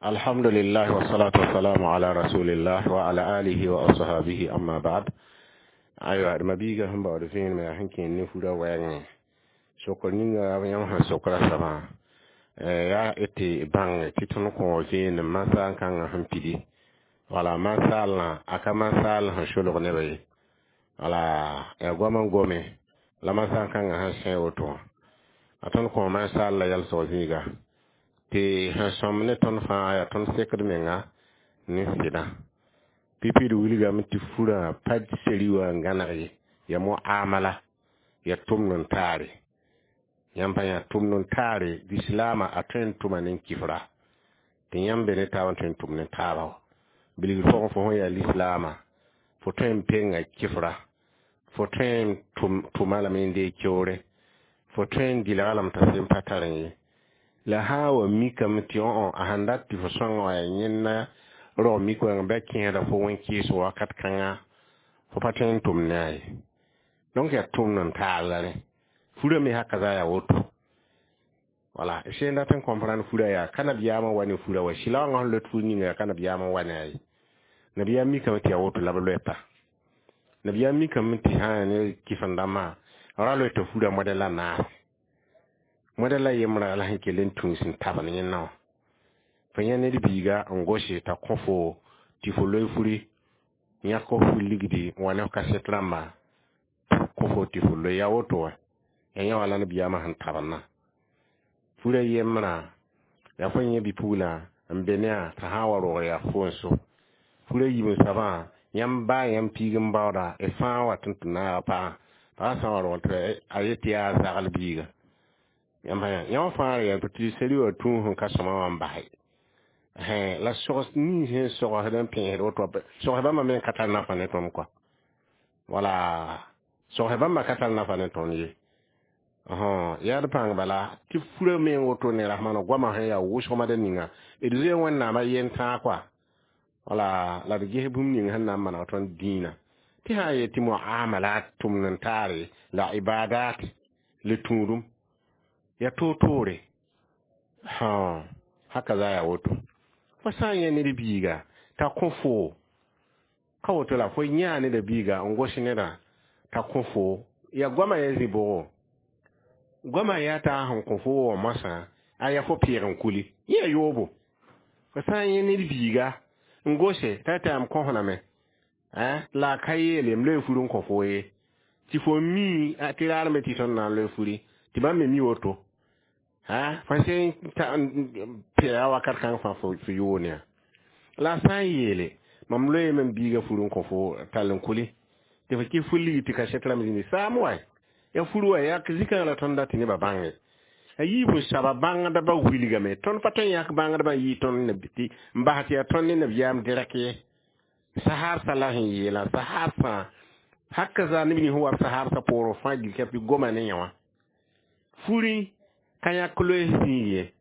Alhamdulillah wa salatu wa salamu ala rasulillah wa ala alihi wa ashabihi, amma ba'd. Aywa, d mabiiga sẽn baood vẽenem yaa sẽn kẽer ne fura wɛɛngẽ sokr ninga yãmb sẽn sokra soabã yaa tɩ bãng tɩ tõnd kõ vẽenem masaal kãngã sẽn pidi. Wala masaalã a ka masaal sẽn solg nebã ye, wala yaa goam n gome la masaal kãngã sẽn sẽ woto wã. A tõnd kõ masaal la yalsg zĩiga tɩ sẽn sõm ne tõnd fãa yaa tõnd sekd menga ne sɩdã. Pipi d wilgame tɩ furã pa seri wã n gãneg ye, yaa muamala, yaa tʋmd n taare. Yãmb pa yã tʋmd n taare lislaamã a tõe n tʋma ne kifra tɩ yãmb be ne taab n tõe n tʋm ne taaba. Bilgr pʋgẽ fo sẽn yaa lislaamã, fo tõe n penga kifra, fo tõe n tʋma lame n deeg keoore, fo tõe n dɩlga lame t'a sẽn pa tar ye. La sã n wa mikame tɩ õ a sẽn dat tɩ fo sõnga wã yaa yẽnda rog mik wẽng bɩ a kẽesda fo wẽn-kɩɩsg wakat kãnga, fo pa tõe n tʋm ne a ye. Donc yaa tʋmd n taar la rẽ. Furã me haka za yaa woto. Wala sẽn dat n comprendre furã yaa ka nabiyaamã wa ne furã wa sɩla wãngã sẽn loet fur ninga yaa ka nabiyaamã wa ne a ye. Nabiyaam mikame tɩ yaa woto la b loɛpa. Nabiyaam mikame tɩ sã n ne kɩfen-dãmbã ra loeta furã modɛl la naase. Modɛl la yembrã la sẽn kell n tũus n tabend yẽnna wã. Fo yẽ ned biiga n gose t'a kõ fo tɩ fo loe furi, yãk f fur ligdi n wa ne f kaset rãmba kõ fo tɩ fo loe. Yaa woto wã, yaa yẽ wã la nabiyaamã sẽn tabendã. Furã yembrã yaa fo yẽ bi-puglã n be ne-a t'a sã n wa rog yaa fo n so. Furã yiib n soabã yãmb baa yãmb piig n baooda y fãa wat n tɩ naaga pagã, pagã sã n wa rog tɩ a yet tɩ yaa zagl biiga. Yãmb pa yã yã fãa yaa tɩ seri wã tũus n ka sõma wã n base. La sogs nins sẽn sogsd n pẽesd woto, sogs bãmba me n ka tar nafa ne tõnd kɔa. Wala sogs bãmba ka tar nafa ne tõnd ye. Yaa d pãng bala tɩ furã me n woto ne rasmãna goamã sẽn yaa wʋsg madr ninga d zoe Wẽnnaamã yen tãag kɔa. Wala la d ges bũmb ning sẽn na n maneg tõnd dĩinã tɩ sã n yet tɩ muamalat tʋmd n taare la ibadat le tũudum yaa toor-toore. Haka za yaa woto. Fo sã n yẽ ned biiga t'a kõ fo ka woto la fo yãa neda biiga n gos nedã t'a kõ fo, yaa goamã ya zĩ bʋgo. Goamã yaa t'a sẽn kõ fo wã moasã a yaa fo peeg n kuli yẽ yaa yoobo. Fo sã n yẽ ned biiga n gose t'a tɩ m kõsname la a ka yeele m loe fur n kõ fo ye, tɩ fo mi tɩ raar me tɩ tõnd na n loe furi tɩ bãmb me mi woto. Fo sẽn pɛɛga wakat kãng fãa fo yoone yã. La a sã n yeele mam loeeme m biiga fur n kõ fo tall n kuli tɩ fo kɩ fur ligi tɩ kaset rãmb zĩndi saam wa yaa fur wa yaa zikãngã la tõnd dat tɩ nebã bãnge. A yiib n soaba bãngdbã wilgame tõnd pa tõe n yãk bãngdbã n yɩ tõnd tɩ n bas tɩ yaa tõnd ne nabiyaam dɩrɛk ye. Saharsã la sẽn yeelã saharsã haka zaa neb nins sẽn wa b saharsã poorẽ fãa gilka tɩ goma ne yẽ wã. Furi ka yãk loees zĩig ye,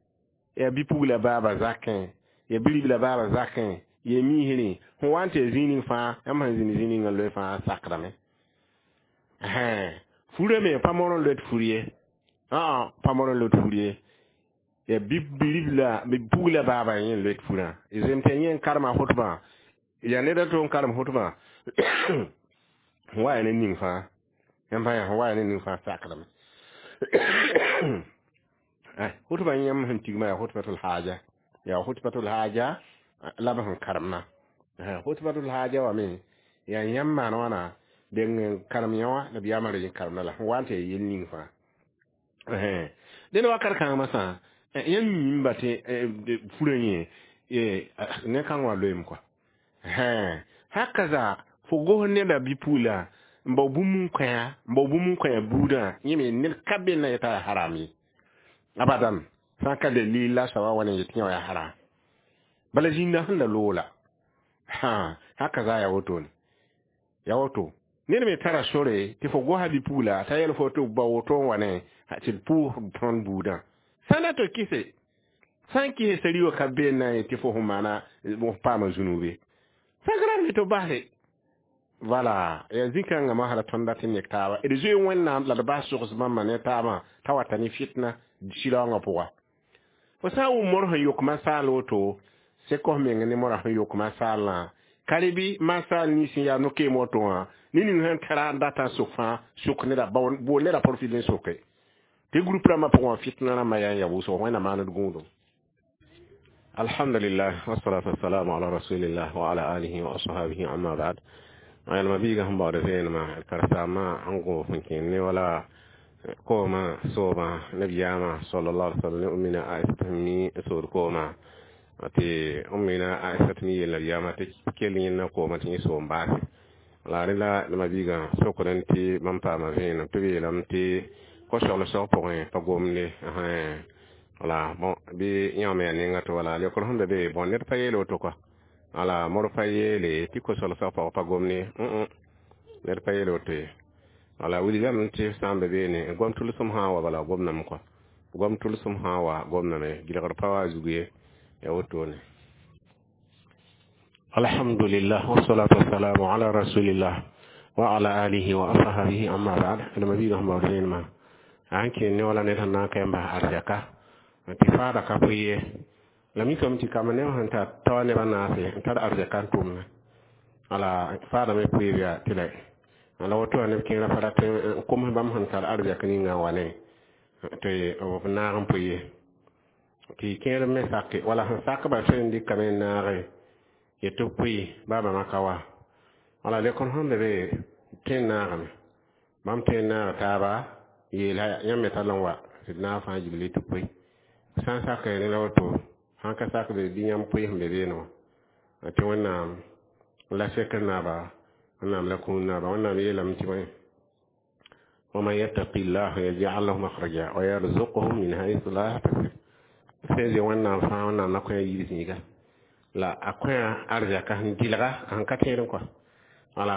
yaa bi-pugla baaba zakẽ, yaa bi-ribla baaba zakẽ, yaa miisrẽ sẽn wa n tɩ yaa zĩig ning fãa yãmb sẽn zĩnd zĩig ninga loe fãa sakdame. Furã me pa moor n loet fur ye, pa moor n loet fur ye, yaa bi-ribla bi-pugla baaba yẽ n loet furã. Zem tɩ yẽ n karema hʋtbã, yaa ned a to n karem hʋtbã sẽn wa yaa ne ning fãa. Yãmb pa yã sẽn wa yaa ne ning fãa sakdame. Hʋtbã yãmb sẽn tigmã yaa hʋtbatul haja, yaa hʋtbatul haja la b sẽn karemna. Hʋtbatul haja wã me yaa yãmb maan wãna deng n karem yã wã nabiyaamã ra yẽ karemda la sẽn wa n tɩ yaa yel ning fãa. Dẽnd wakat kãng masã yãmb mimba tɩ furã yẽ ne kãng wã loeem kɔa. Haka zaa fo gos neda bi-pugla n bao bũmb n kõ-a, n bao bũmb n kõ-a buudã, yẽ me ned ka be na yeta yaa haram ye. Abadan sã n ka dalil la soabã wa ne yetɩ yẽ wã yaa haram. Bala zĩnda sẽn la loola. Haka zaa yaa wotone. Yaa woto. Ned me tara sore tɩ fo gosa bi-pugla t'a yɛl fo tɩ ba woto n wa ne tɩ d pʋʋs tõnd buudã. Sã n dat tɩ kɩse, sã n kɩse sari wã ka be n na n yet tɩ fo sẽn maana f paama zũnube. Sã n tɩ base. Voilà, yaa zĩ-kãngã masra tõnd dat n nek taaba. D zoe Wẽnnaam la d bas sogs bãmba ne taabã t'a wata ne fitna sɩlaoongã pʋga. Fo sã n wʋm mor sẽn yok masaal woto Sek f meng ne moarã sẽn yok masaalã ka rẽ bɩ masaal nins sẽn yaa no-keem woto wã ne ning sẽn tara n data n sok fãa sok neda bool neda profil n soke tɩ groupe rãmbã pʋgẽ wã fitna rãmbã yaa n ya wʋsgo Wẽnnaam maand gũudum. Alhamdulillah, wassalatu wassalamu ala rasulillah wa ala alihi wa ashabihi, amma ba'd. Ayalma biiga sẽn baood vẽenemã karsaamã n gõos n kẽnd ne wala koomã soobã nabiyaamã sallallahu alaihi wasallam ne ummina Aisata sẽn mi n sood koomã tɩ ummina Aisata mi yeel nabiyaamã tɩ kell yẽnna koomã tɩ yẽ soom baase la rẽ la nema biigã sokdẽ tɩ bãmb paama vẽenem tɩ b yeelame tɩ ko-soglsg pʋgẽ pa gomde. Wala bon bɩ yãoo me yaa nenga tɩ wala leokr sẽn be be bõn ned pa yeel woto kɔa wala mor pa yeele tɩ ko-soglsg pʋgẽ pa gomde, ned pa yeel woto ye. Wala wilgame tɩ sã n be beene goam tʋlsem sã n wa bala gomdame kɔa goam tʋlsem sã n wa gomdame gɩlgr pa wa a zug ye ya wotone. Alhamdulillah, wassalatu wassalamu ala rasulillah wa ala alihi wa ashabihi, amma ba'd. Nema biiga sẽn baood vẽenemã a n kẽnd ne wala ned sẽn na n ka yãmb arzɛka tɩ faada ka pʋɩ ye la mikame tɩ kamba neb sẽn tar taoa nebã naase n tar arzɛka n tʋmna wala faada me pʋɩɩb yaa tɩ la woto wã neb kẽerã pa rat n koms bãmb sẽn tar arzɛk ninga n wa ne tɩ b naag n pʋɩ ye tɩ kẽer me sake wala sẽn sakba tõe n dɩkame n naage yetɩ b pʋɩ baa bãmba ka wa wala lekr sẽn be be tõe n naagame bãmb tõe n naag taaba yeela yãmb me tall n wa tɩ d naag fãa gilli tɩ pʋɩ sã n sak rẽ la woto sãn ka sak be bɩ yãmb pʋɩ sẽn be beene wã tɩ Wẽnnaam la sekr naaba Wẽnnaam la kũun naaba Wẽnnaam yeelame tɩ bõe ومن يتق الله يجعل له مخرجا ويرزقه من حيث لا يحتسب sẽn zoe Wẽnnaam fãa Wẽnnaam na kõ a yiib zĩiga la a kõ arzɛka sẽn gɩlga sẽn ka tẽedẽ kɔa wala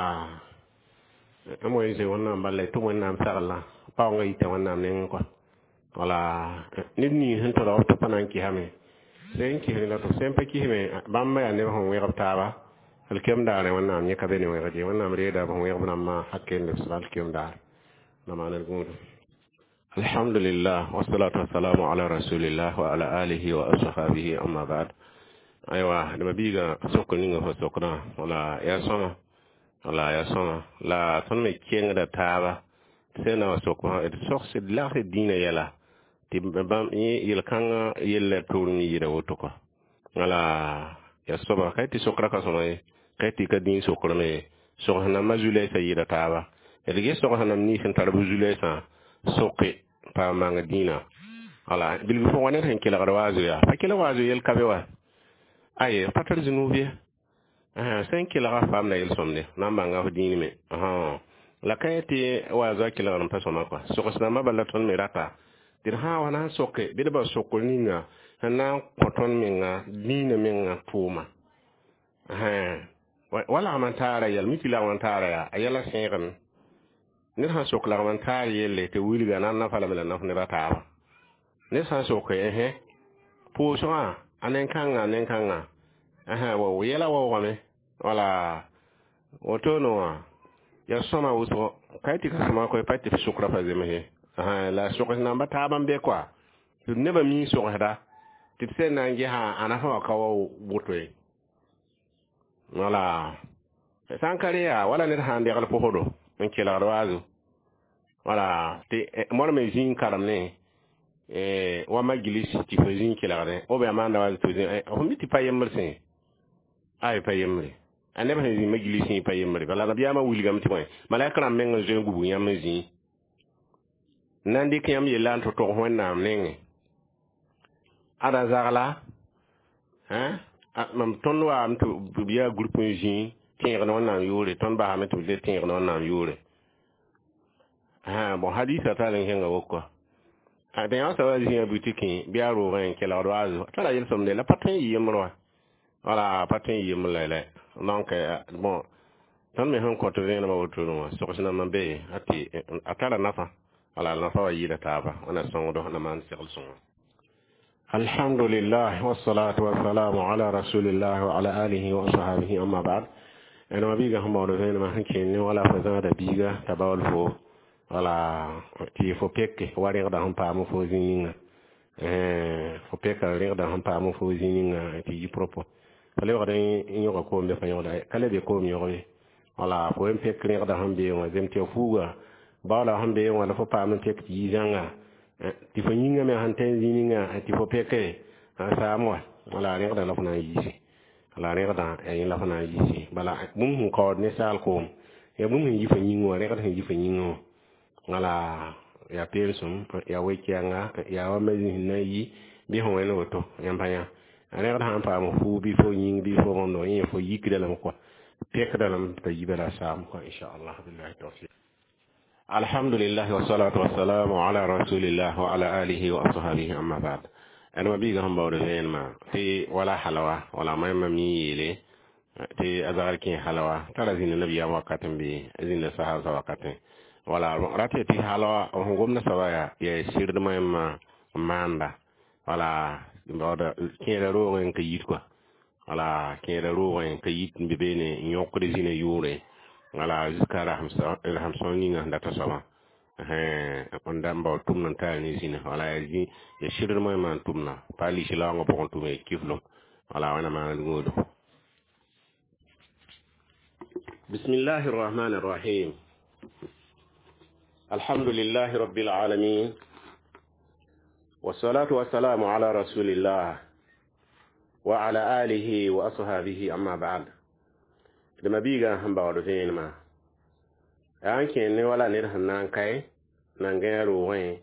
m wa zoe Wẽnnaam bala y tʋm Wẽnnaam saglã paoongã yita Wẽnnaam nengẽ kɔa wala ned ning sẽn tolg b tɩ pa na n kisame sẽn kis la tɩ sẽn pa kisme bãmb yaa neb sẽn wẽgb taaba alkiyam daare Wẽnnaam yẽ ka be ne wẽgd ye Wẽnnaam reeda b sẽn wẽgb rãmbã hakke n lebsd alkiyam daar na maaned gũudum. Alhamdulillah, wassalatu wassalamu ala rasulillah wa ala alihi wa ashabihi, amma ba'd. Aywa nema biiga sokr ninga fo sokdã wala yaa sõma wala yaa sõma la tõnd me kengda taaba sẽn na wa sok d sogs d lagsd dĩinã yɛla tɩ bãmb yel-kãngã yella tʋʋlem yɩɩda woto kɔa wala yaa soaba ka tɩ sokra ka sõma ye ka tɩ ka dĩin sokrame ye sogs nambã zu-lɛɛsã yɩɩda taaba d ges sogs nãmb nins sẽn tar b zu-lɛɛsã soke pa mang dĩinã wala bilg fo wa ned sẽn kelgd waazo yaa pa kelg waazo yel ka be wa aye pa tar zũnub ye sẽn kelga faamda yel-sõmde na n bãnga f dĩin me la ka yẽ tɩ waazo a kelgd n pa sõma kɔa sogs rãmbã bala tõnd me rata tɩ d sã n wa na n soke bɩ d ba sokr ninga sẽn na n kõ tõnd menga dĩinã menga tʋʋma wa lagm n taara yɛl mi tɩ lagm n taara yaa a yɛla sẽegame ned sãn sok lagm n taar yelle tɩ wilga na n nafa lame la naf neba taaba ned sãn soke ɛsẽ pʋʋsgã a nen-kãngã nen-kãngã wa yɛla waoogame wala wotone wã yaa sõma wʋsgo ka tɩ ka sõma koe pa tɩ f sʋkra pa zemse la sogs namba taab n be kɔa tɩ nebã mi sogsda tɩ d sẽn na n gesa a nafa wã ka wa woto ye wala sã n ka re yaa wala ned sã n degl pʋsdo n kelgd waazo wala tɩ moar me zĩig karem ne wa magilis tɩ fo zĩig kelgdẽ b yaa maanda waazo tɩ fo mi tɩ pa yembr sẽ ay pa yembre a neb sẽn zĩ magilisẽ pa yembre bala nabiyaamã wilgame tɩ bõe malaika rãmb meng n zoe n gubg yãmb n zĩ n na n dɩk yãmb yella n tɩ tog Wẽnnaam nengẽ ada zagla mam tõnd waame tɩ b yaa group n zĩ tẽegd Wẽnnaam yʋʋre tõnd basame tɩ b le tẽegd Wẽnnaam yʋʋre bon hadisa tar n kẽnga woko tɩ yã soaba zĩa butikẽ bɩ a roogẽ n kelgd waazo tara yel-sõmde la pa tõe n yɩ yembr wã wala pa tõe n yɩ yembr la donc bon tõnd me sẽn kõt vẽenemã wotone wã sogs nambã be a tɩ a tara nafa wala nafa wa yɩɩda taaba wẽna sõngdo na maan segl sõngo. Alhamdulillah, wassalatu wassalamu ala rasulillah wa ala alihi wa ashabihi, amma ba'd. Ẽnema biiga sẽn baood vẽenemã sẽn kẽnd ne wala fo zãada biiga t'a baool fo wala tɩ fo peke wa rẽgda sẽn paam fo zĩ ninga Fo pɛka rẽgda sẽn paam fo zĩ ninga tɩ yi propre fa lebgd n yõga koom be fa yõgda ka le be koom yõg ye wala fo n pek rẽgda sẽn be wã zem tɩ ya fuuga baoola sẽn be wã la fo paam n pek tɩ yi zãnga tɩ fo yĩngã me sẽn tõe n zĩ ninga tɩ fo peke n saam wa wala rẽgda la fo na n yiisi la rẽgdã yaa yẽ la fo na n yiisi bala bũmb sẽn kaood ninsaal koom yaa bũmb sẽn yi fo yĩngẽ wã rẽgd sẽn yi fo yĩngẽ wã wala yaa peelsem yaa we-kɛɛnga yaa wa ma zĩis n na n yi bɩ sẽn wẽnd woto yãmb pa yã rẽgd sãn paam fuug bɩ fo yĩng bɩ fo bõndo yẽ fo yikda lame kɔa pekda lame t'a yi bala saam kɔa inchallah billahi tawfiq. Alhamdulillah wassalatu wassalamu ala rasulillah wa ala alihi wa ashabihi amma ba'd. Adama biiga sẽn baood vẽenemã tɩ wala halawa wala mayma mi yeele tɩ a zagr kẽ halawa tara zĩnda nabiyaam wakat n be zĩnda sahabsã wakatẽ wala rat tɩ halawa sẽn gomda soaba yaa sɩrd mayma n maanda wala baooda kẽeda roogẽ n ka yit kɔa wala kẽeda roogẽ n ka yit n be beene n yõkd zĩna yʋʋre wala jusqu'à rasem sõng ninga sẽn data soabã n da n bao tʋmd n tar ne zĩna wala yaa sɩrd moẽmã n tʋmda pa lislaoongã pʋgẽ tʋm ya kiflem wala wẽna maan gũudum. بسم الله الرحمن الرحيم. الحمد لله رب العالمين والصلاة والسلام على رسول الله وعلى آله وأصحابه أما بعد. لما بيغا هم باودو فين ما an kẽ ne wala ned sẽn na n kae na n gãe roogẽ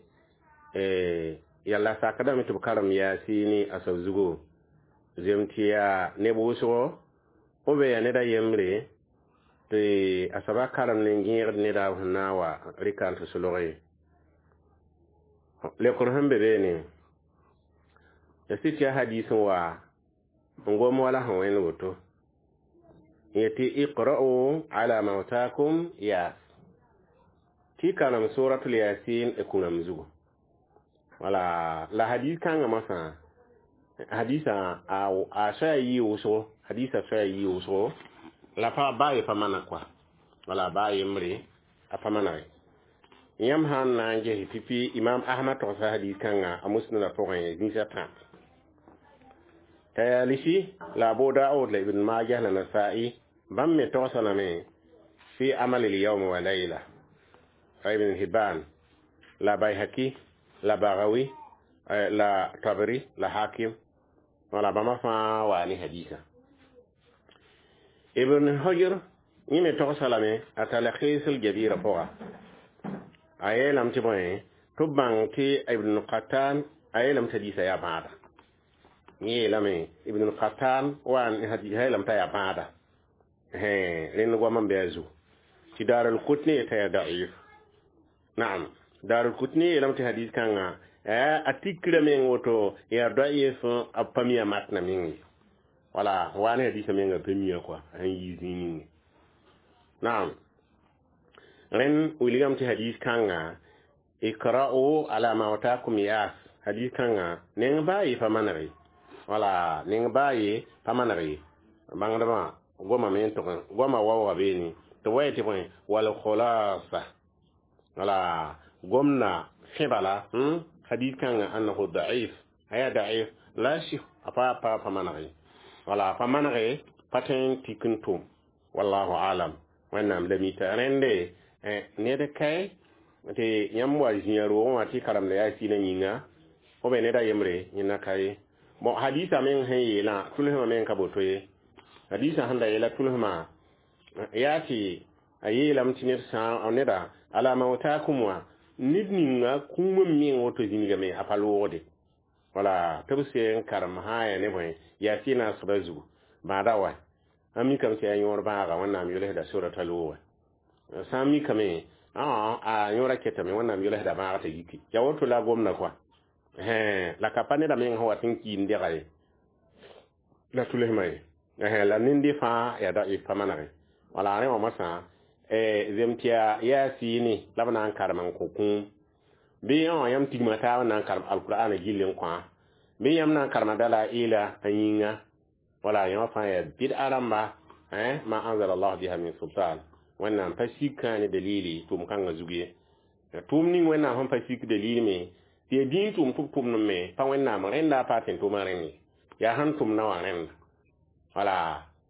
yalla sakdame tɩ b karem yaasɩ a soab zugo zem tɩ yaa neb wʋsgo b be yaa ned a yembre tɩ a soaba karem ne gẽegd neda sẽn na n wa rɩka n tɩ solg ye lekr sẽn be beene ya sɩ tɩ yaa hadis n wa n gom wala sẽn wẽnd woto yetɩ iqra'u ala mautakum yas tɩ karem suratul yasin e kũrãmb zugu wala la hadis kãngã masã hadisa a soaya yɩ wʋsgo hadisa soaya yɩ wʋsgo la pa baa ye pa mana kɔa wala baa yembre a pa manage yãmb sã n na n ges pipi imam ahmad togsa hadis kãnga a musnada pʋgẽ zĩisa tã tayalisi la abu daud la ibn majah la nasa'i bãmb me togsa lame fi amal al-yawm wa layla ibn hibban la bayhaqi la bagawi la tabari la hakim wala bãmba fãa waa ne hadisa ibn hujr yẽ me togsa lame a talkhis al-jabira pʋga a yeelame tɩ bõe tɩ b bãng tɩ ibn qattan a yeelame tɩ hadisa yaa bãada yẽ yeelame ibn qattan wa yeelame t'a yaa bãada rẽnd goam n bɩ a zugu tɩ daar al-qutni yeta yaa da'if naam daar al-qutni yeelame tɩ hadis kãngã a tikra meng woto yaa da'if a pa mi a matna meng ye wala wa ne hadisa menga pa mi kɔa sẽn yi zĩig ninge naam rẽnd wilgame tɩ hadis kãnga ikra'u ala mautakum yas hadis kãnga neng baa ye pa maneg ye wala neng baa ye pa maneg ye bãngdbã goma me n tʋg goma waooga beene tɩ wa tɩ bõe wal khulasa wala gomna fẽ bala hadis kãnga annahu da'if a yaa da'if la sɩ a pa pa pa maneg ye wala pa maneg pa tõe n tik n tʋm wallahu alam wẽnnaam la mita rẽnde ned kae tɩ yãmb wa zĩa roogẽ wã tɩ karemda yaa sɩnã yĩnga fo be ned a yembre yẽnda ka ye bon hadisa meng sẽn yeelã tʋlsmã meng ka boto ye hadisa sẽn da yeela tʋlsmã yaa tɩ a yeelame tɩ ned sã neda ala mautakum wã ned ninga kũumã meng woto zĩnigame a pa loogde wala tɩ b sẽn karem sã yaa ne bõe yaa sɩ naasgda zugu bãada wa a mikame tɩ yaa yõor bãaga wẽnnaam yolsda sorata looge sã n mikame a yõora ketame wẽnnaam yolsda bãag t'a yiki ya woto la gomda kɔa la ka pa neda meng sẽn wat n kiin dega ye la tʋlsmã ye la nende fãa yaa da'if pa manege wala rẽ wã masã zem tɩ yaa sɩɩne la b na n karem n kõ kũum bɩ yãmb tigma taab n na n karem alkur'ana gill n kõ bɩ yãmb na n karema dala ila a yĩnga wala yãmb fãa yaa bɩd'a rãmba ma anzala allah biha min sultan wẽnnaam pa sik kãa ne dalili tʋʋm kãngã zug ye tʋʋm ning wẽnnaam sẽn pa sik dalili me Tɩ yaa dĩin tʋʋm tɩ b tʋmd me pa Wẽnnaam rẽnda a pa tẽn tʋʋmã rẽnd ye. Yaa sẽn tʋmdã wã rẽnda. Wala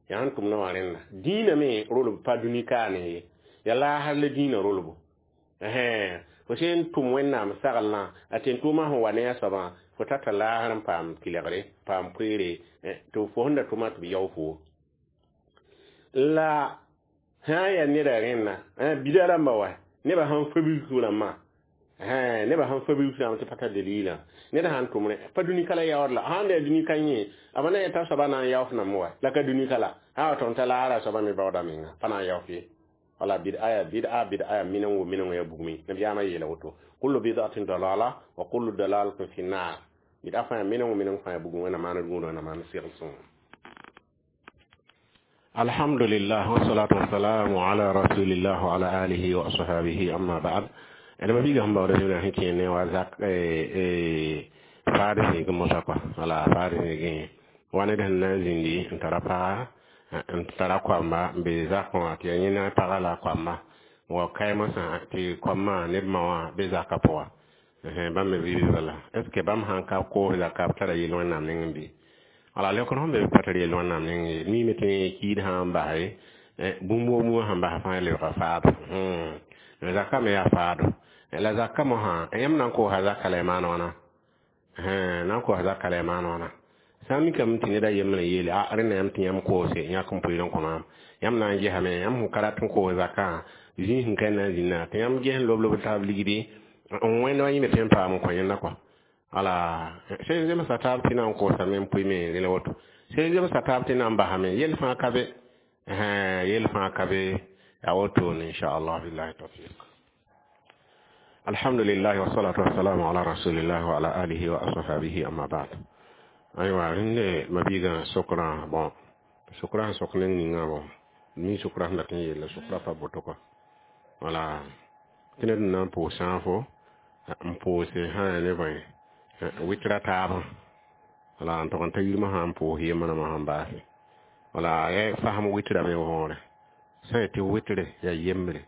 yaa sẽn tʋmdã wã rẽnda. Dĩinã me rolb pa dũni kaane ye. Yaa laasr la dĩinã rolbo. Fo sẽn tʋm Wẽnnaam saglã a tẽn tʋʋmã sẽn wa ne a soabã fo tata laasr n paam tɩlgre, paam koeere tɩ fo sẽn da tʋma tɩ b yao fo. La sã n yaa neda rẽnna bida rãmba wa nebã sãn fabig rãmbã nebã sãn fabig rãmb tɩ pa tar dalilã ned sãn tʋm rẽ pa dũni ka la yaood la sãn da yaa dũni ka yẽ a na yeta soaba na n yaof name wa la ka dũni ka la sã wa tõnd t'a laara soaba me baooda menga pa na n yaof ye. Wala bid'a bid'a bid'a minengo minengo ya bugmi nabiyaama yeela woto kullu bid'atin dalala wa kullu dalalatin fi nar bid'a fãa minengo minengo fãa ya bugum wẽnna maan rũudã wẽnna maan segl sõngo. Alhamdulillah wassalatu wassalamu ala rasulillah wa ala alihi wa ashabihi amma ba'd. Ẽd ma biiga sẽn baood zĩna sẽn kẽ ne wa zak faad zĩig mosã kɔa wala faad zĩigẽ wa ned sẽn na n zĩndi n tara paga n tara koamba n be zakẽ wã tɩ yaa yẽna paga la a koamba wa kaemsã tɩ koambã neb ma wã be zakã pʋga bãmb me vɩ bala est ce que bãmb sãn ka koos zaka b tara yel Wẽnnaam nengẽ bɩ? Wala leokr sẽn be b pa tar yel Wẽnnaam nengẽ ye. Miime tɩ kiid sã n base bũmb wã sẽn bas fãa lebga faado. Zaka me yaa faado la zaka mosã yãmb na n koosa zaka la y maan wãna na n koosa zaka la y maan wãna sã n mikame tɩ ned a yembrã yeele a rẽnda yãmb tɩ yãmb koose yãk n pʋɩɩr n kõ maam yãmb na n gesame yãmb sẽn ka rat n koos zakã zĩig sẽn ka na n zĩnna tɩ yãmb ges n lob lob taab ligdi n wẽnd wa yĩme tɩ n paam n kõ yẽnda kɔa. Wala sẽn zemsa taab tɩ na n koosame n pʋɩme rẽ la woto sẽn zemsa taab tɩ na n basame yell fãa ka be yell fãa ka be yaa wotone inchallah billahi tawfiq. Alhamdulillah wassalatu wassalamu ala rasulillah wa ala alihi wa ashabihi amma ba'd. Aywa rẽnde mabiigã sokraã bon sokraã sẽn sok neng ninga bon mi sokraã sẽn dat n yeella sokraã pa boto kɔa. Wala tɩ ned n na n pʋʋs sãafo n pʋʋse sã yaa ne bõe wɩtra taabã wala n tog n ta yirmã sã n pʋʋs yembrãmã sẽn baase wala ya fasem wɩtrame võore sã n tɩ wɩtre yaa yembre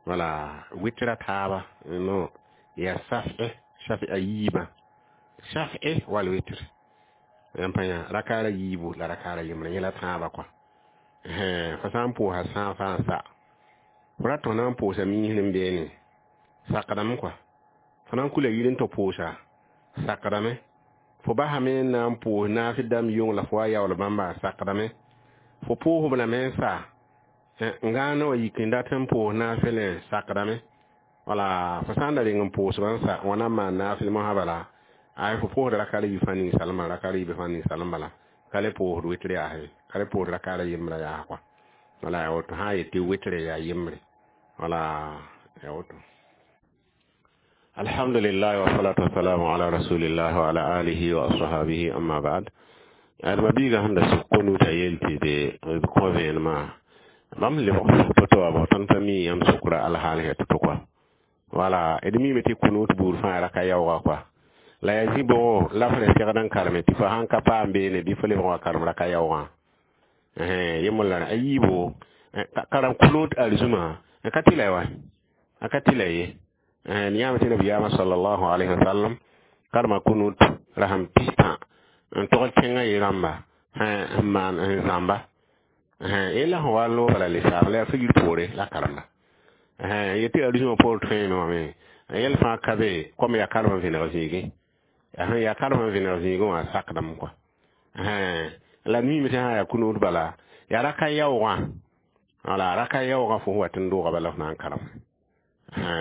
wala wɩtra taaba no yaa saf'e saf'a yiibã saf'e wal wɩtr yãmb pa yã rakaara yiibu la rakaara yembre yẽ la tãabã kɔa fo sã n pʋʋsa sãafã n sa fo rat tɩ f na n pʋʋsa miisr n beene sakdame kɔa fo na n kula yir n tɩ pʋʋsa sakdame fo basame n na n pʋʋs naafɩ dãmb yʋng la fo wa yaool bãmba sakdame fo pʋʋsb lame n sa n gãane wa yik n dat n pʋʋs naafɩlẽ sakdame wala fo sã n da reng n pʋʋsba n sa wã na n maan naafɩl mosã bala ay fo pʋʋsd rakaara yiib fãa ning-salmã rakaara yiib fãa ning-salm bala ka le pʋʋsd wɩtr yaase ka le pʋʋsd rakaara yembrã yaas kɔa wala yaa woto sã n yet tɩ wɩtre yaa yembre wala yaa woto. Alhamdulillah wassalatu wassalamu ala rasulillah wa ala alihi wa ashabihi amma ba'd. Ad mabiiga sẽn da sʋk konuutã yel tɩ b kõ vẽenemã bãmb lebg sʋk to-to wã bõ tõnd pa mi yãmb sʋkra alhaal sã to-to kɔa wala d miime tɩ kunuut buud fãa raka yaooga kɔa la yaa zĩ bʋgo la f rẽ segd n kareme tɩ fo sãn ka paam beene bɩ fo lebg wa karem raka yaoogã yembr la a yiibo karem kunuut arzũmã ka tɩ la wa a ka tɩ la ye yãame tɩ nabiyaamã sallallahu alayhi wa sallam karema kunut rasem pistã n togl tẽngã ye rãmba n maan n zãmba yella sẽn wa loobã la le-saam la yaa figr poore la karemba yetɩ arzũmã poor tõeeme wã me yɛl fãa ka be kom yaa karem n vẽneg zĩigẽ sẽn yaa karem n vẽneg zĩigẽ wã sakdame kɔa la miime tɩ sã yaa kunuut bala yaa raka yaoogã wala raka yaoogã fo sẽn wat n doogã bala f na n karem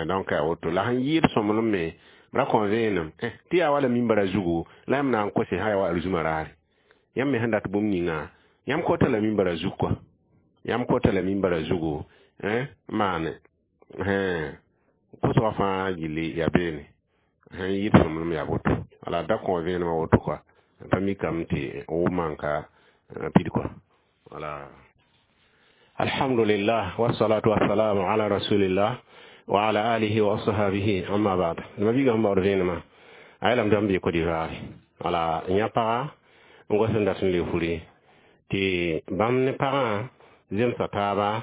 donc woto la sẽn yɩɩd sõmblem me ra kõ vẽenem tɩ yaa wala mimbara zugu la yãmb na n kose sã yaa wa arzũmã raare yãmb me sẽn dat bũmb ninga yãmb kota la mimbara zug kɔa yãmb kota la mimbara zugu n maane kosgã fãa gilli yaa beene sẽn yɩɩd sõmblem yaa woto wala da kõ vẽenemã woto kɔa pa mikame tɩ wʋm n ka pid kɔa wala. Alhamdulillah wassalatu wassalamu ala rasulillah wa ala alihi wa ashabihi amma ba'd. Ma biiga sẽn baood vẽenemã a yeelame tɩ bãmb bee Côte d'Ivoire wala yã paga n gos n dat n le furi tɩ bãmb ne pagã zemsa taaba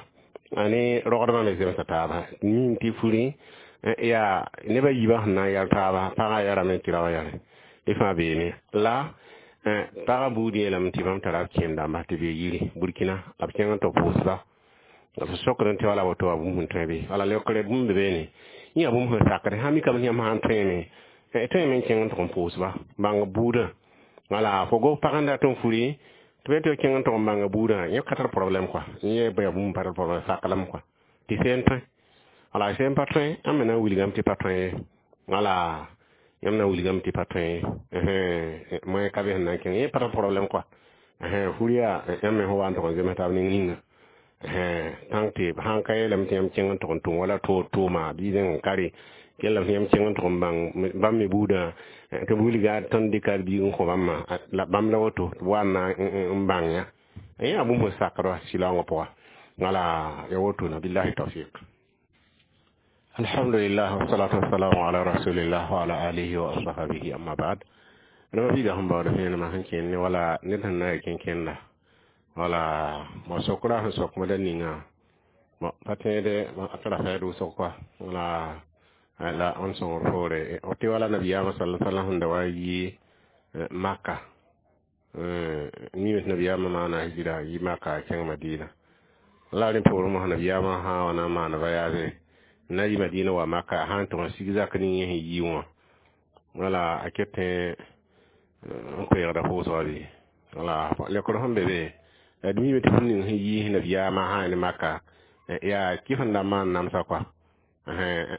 a ne rogdbã me zemsa taaba nin tɩ furi Yaa neb a yiibã sẽn na n yal taaba, pagã yarame tɩ raoã yare d fãa beene la pagã buud yeelame tɩ bãmb tara b kẽem dãmba tɩ bee yiri Burkina la b kẽng n tɩ pʋʋsba la b sokd tɩ wala woto wa bũmb sẽn tõe bɩ wala leokre bũmb be beene yẽ yaa bũmb sẽn sakd sã mikame tɩ yãmb sã n tõeme tõeme n kẽng n tʋg n pʋʋsba bãng buudã wala fo gos pag n dat n furi tɩ be tɩ kẽng n tʋg n bãnga buudã yẽ ka tar problème quoi yẽ yaa bũmb pa tar problème saklame quoi tɩ seen tõe wala sẽn pa tõe yãmb me na n wilgame tɩ pa tõe ye wala yãmb na n wilgame tɩ pa tõe ye moyen ka be sẽn na n kẽng yẽ pa tar problème quoi fur yaa yãmb me sẽn wa n tʋg n zems taab ning ninga tãng tɩ sãn ka yeelame tɩ yãmb kẽng n tʋg n tʋm wala toor-tʋʋma bɩ zẽng n ka re kellame tɩ yãmb kẽng n tʋg n bãng bãmb me buudã tɩ b wilga tõnd dɩka d biig n kõ bãmbã la bãmb la woto tɩ b wa n na n bãng yã yẽ yaa bũmb sẽn sakd wa sɩlaoongã pʋga wala ya woto na billahi tawfiq. Alhamdulillah wassalatu wassalamu ala rasulillah wa ala alihi wa ashabihi amma ba'd. Rãmba biiga sẽn baood vẽenemã sẽn kẽnd ne wala ned sẽn na n kẽn-kẽnda wala mo sokra sẽn sok moda ninga bon pa tẽede a tara fɛɛd wʋsg kɔa wala la n sõngr poore tɩ wala nabiyaamã sala sallam sẽn da wa yi Maka mime tɩ nabiyaamã maana hijira yi Maka a kẽng Madina la rẽ poorẽ mosã nabiyaamã sã wa na n maan voyage na yi Madina wa Maka sã n tʋg n sig zak ning yẽ sẽn yi wã wala a ket tẽ n koeegda pʋʋsga bɩ wala lekr sẽn be be d mime tɩ bũmb ning sẽn yiis nabiyaamã sã ne Maka yaa kɩf n da maan namsa kɔa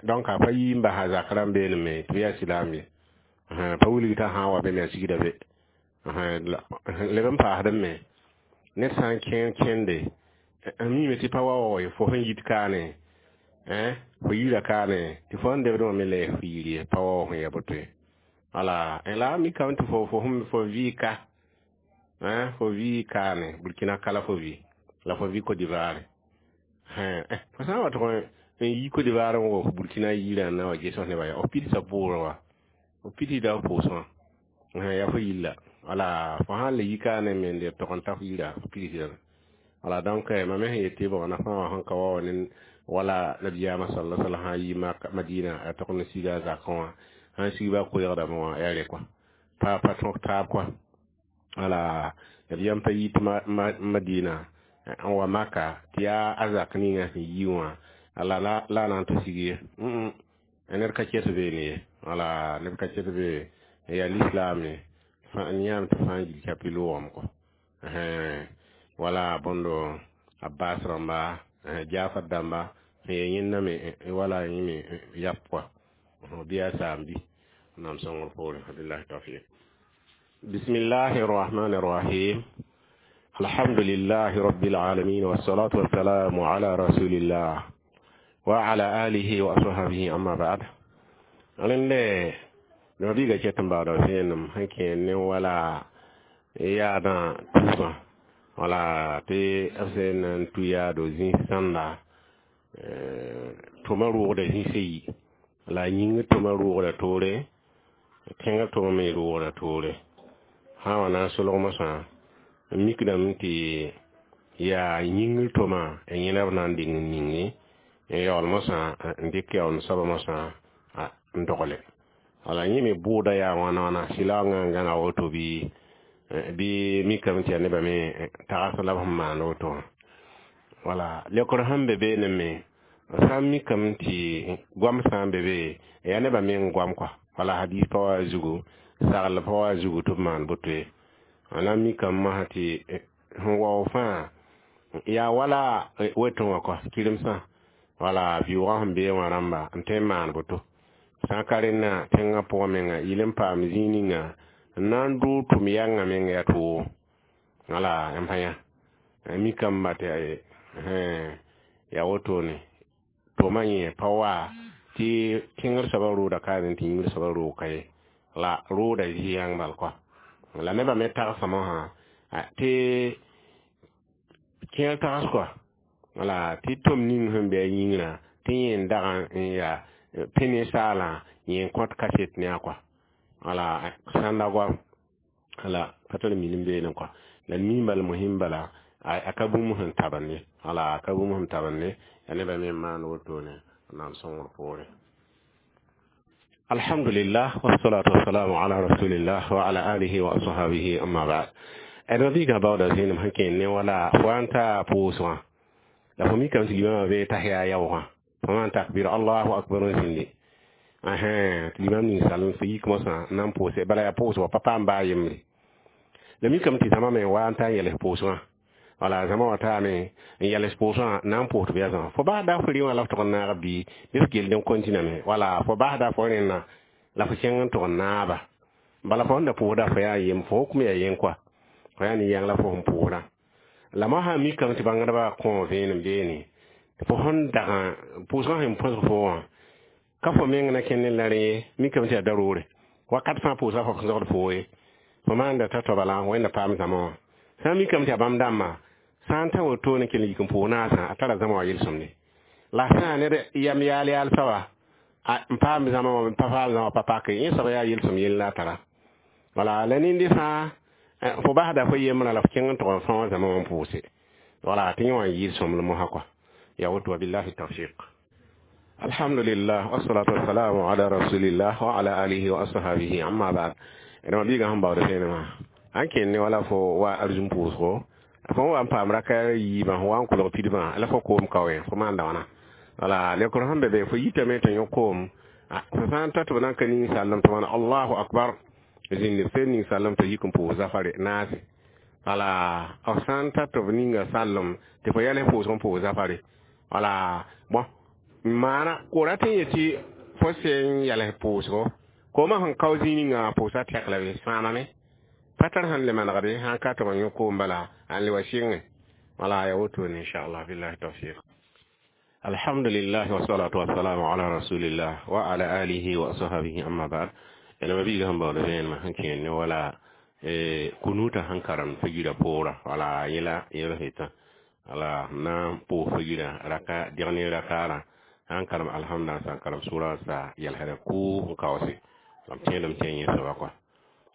donc a pa yi n basa zak rãmb beeneme tɩ b yaa silaam ye pa wilg t'a sã n wa be me a sigda be leb n paasd me ned sã n kẽer kẽnde n mime tɩ pa wa wa fo sẽn yit kaane fo yira kaane tɩ fo sẽn debd wã me le f yir ye pa wa sẽn ya boto ye wala la a mikame tɩ fo vɩ ka fo vɩ kaane Burkina kala fo vɩ la fo vɩ Côte d'Ivoire fo sã n wa tʋg n yi Côte d'Ivoire n wa Burkina yirã n na wa ges nebã ya f pidsa bʋʋrã wa f pidsda f pʋʋsgã yaa fo yilla wala fo sãn le yi kaane me n leb tʋg n ta f yira f pidsda wala donc mam me sẽn yet tɩ bõg na fãa wã sẽn ka wa wa ne wala nabiyaamã sala sallam sã n yi Madina a tʋg n siga a zakẽ wã sãn sig ba koeegdame wã yaa re kɔa pa pa tõk taab kɔa wala nabiyaam pa yit Madina n wa Maka tɩ yaa a zak ninga sẽn yi wã la la na n tɩ sig ye ned ka ket beene ye wala ned ka ket be yaa lislaam ye yãam tɩ fãa yil kapi loogame kɔ wala bõndo Abbas rãmba Jafar dãmba sẽn yaa yẽnda me wala yẽ me yap kɔa bɩ yaa saam-bi nam sõngr poorẽ billahi tawfiq. Bismillahi rrahmani rrahim. Alhamdulillahi rabbil alamin wassalatu wassalamu ala rasulillah wa ala alihi wa ashabihi amma ba'd. Rẽnde nabiiga ket n baooda vẽenem sẽn kẽer ne wala yaadã tʋʋsã wala tɩ b sẽn na n tũ yaado zĩis sãnda tʋma roogda zĩisã yi la a yĩngr tʋma roogda toore tẽngr tʋma me roogda toore sã n wa na n solg mosã n mikdame tɩ yaa yĩngr tʋma yẽna b na n deng n ninge n yaool mosã n dɩk yaool soaba mosã n dogle wala yẽ me bʋʋda yaa wãna wãna sɩlaoongã n gãnga woto bɩ bɩ mikame tɩ yaa nebã me tags la b sẽn maan woto wã wala lekr sẽn be beene me sã n mikame tɩ goam sã n be be yaa nebã me n goam kɔa wala hadis pa wa zugu sagl pa wa zugu tɩ b maan boto ye la mikame mosã tɩ sẽn wao fãa yaa wala wetẽ wã kɔa kiremsã wala vɩʋʋgã sẽn bee wã rãmba n tõe n maan boto sã n ka rẽnna tẽngã pʋgã menga yɩl n paam zĩig ninga n na n dʋʋg tʋm yãngã menga yaa toogo wala yãmb sã yã mikame tɩ yaa wotone tʋma yẽ pa wa tɩ tẽngr soabã rooda kaane tɩ yĩngr soabã roog ka ye la rooda zɩ yãng bal kɔa la nebã me tagsã mosã tɩ kẽer tags kɔa wala tɩ tom ning sẽn be a yĩngrã tɩ yẽ n dag n yaa pẽ ninsaalã yẽ n kõt kaset ne a kɔa wala sãnda goam wala pa tar minim beene kɔa la mi bala mosĩm bala a ka bũmb sẽn tabend ye wala a ka bũmb sẽn tabend ye yaa nebã me n maan wotone n na n sõngr poorẽ. Alhamdulillah, wassalatu wassalamu ala rasulillah wa ala alihi wa ashabihi, amma ba'd. D mabiigã baooda zẽenem sẽn kẽen ne wala fo wa n ta pʋʋsgã la fo mikame tɩ limamã bee tahiya yaoogã fo maan takbir allahu akbar n zĩndi tɩ limam ninsal fo yik mosã n na n pʋʋse bala yaa pʋʋsgɔ pa paam baa yembre la mikame tɩ zãma me wa n ta n yɛls pʋʋsgã wala zãma wã taame n yɛls pʋʋsgã n na n pʋʋs tɩ b yaa zãma fo basda fo rẽ wã la f tʋg n naag bii bɩ f kell n continame wala fo basda fo rẽnna la fo kẽng n tʋg n naaba bala fo sẽn da pʋʋsda fo yaa yem fo hukum yaa yen kɔa fo yaa nin-yãng la fo sẽn pʋʋsdã la mo sã n mikame tɩ bãngdbã kõ vẽenem beene fo sẽn dagã pʋʋsgã sẽn põsg fo wã ka fo meng na kẽnd ne la rẽ ye mikame tɩ yaa da-roore wakat fãa pʋʋsga fo sẽn zogd foo ye fo maanda t'a toaba la wẽnda paam zãma wã sã n mikame tɩ yaa bãmb dãmbã sã n ta wotone kell n yik n pʋʋs naasã a tara zãma wã yel-sõmde la sã ned yam yaal yaal soaba n paam zãma wã pa paam zãma pa pake yẽ soaba yaa yel-sõm yell la a tara wala la nindi fãa fo basda fo yembrã la fo kẽng n tʋg n fãa zãma wã n pʋʋse wala tɩ yẽ wã n yɩɩd sõmblem wã kɔa ya woto wabillahi tawfiq. Alhamdulillah, wassalatu wassalamu ala rasulillah wa ala alihi wa ashabihi, amma ba'd. D mabiigã sẽn baood vẽenemã sãn kẽnd ne wala fo wa arzũm pʋʋsgo fo wa n paam raka yiibã fo wa n kolg pidbã la fo koom ka wẽ fo maanda wãna wala lekr sẽn be be fo yitame tɩ yõ koom fo sã n ta tɩ b na n ka ninsaalem tɩ maana allahu akbar zĩnd b sel ninsaalem tɩ yik n pʋʋs zafare naase wala b sã n ta tɩ b ninga sallem tɩ fo yɛls pʋʋsg n pʋʋs zafare wala bõn maana ko rat n yetɩ fo sẽn yɛls pʋʋsgo koomã sẽn kao zĩig ninga pʋʋsa tɛk la be sãamame pa tar sẽn le manegde sãn ka tɩ b yõ koom bala n le wa sɩngẽ wala ya wotone inchallah billahi tawfiq. Alhamdulillah, wassalatu wassalamu ala rasulillah wa ala alihi wa ashabihi, amma ba'd. D mabiigã sẽn baood vẽenemã sẽn kẽen ne wala kunuta sẽn karem fagira poora wala yẽla yẽl sẽtã wala na n pʋʋs fagira raka degn rakaarã sãn karem alhamda sã n karem sʋra sa yɛlsdã kʋʋ n kaoose la m tẽedame tɩ yẽ soaba kɔa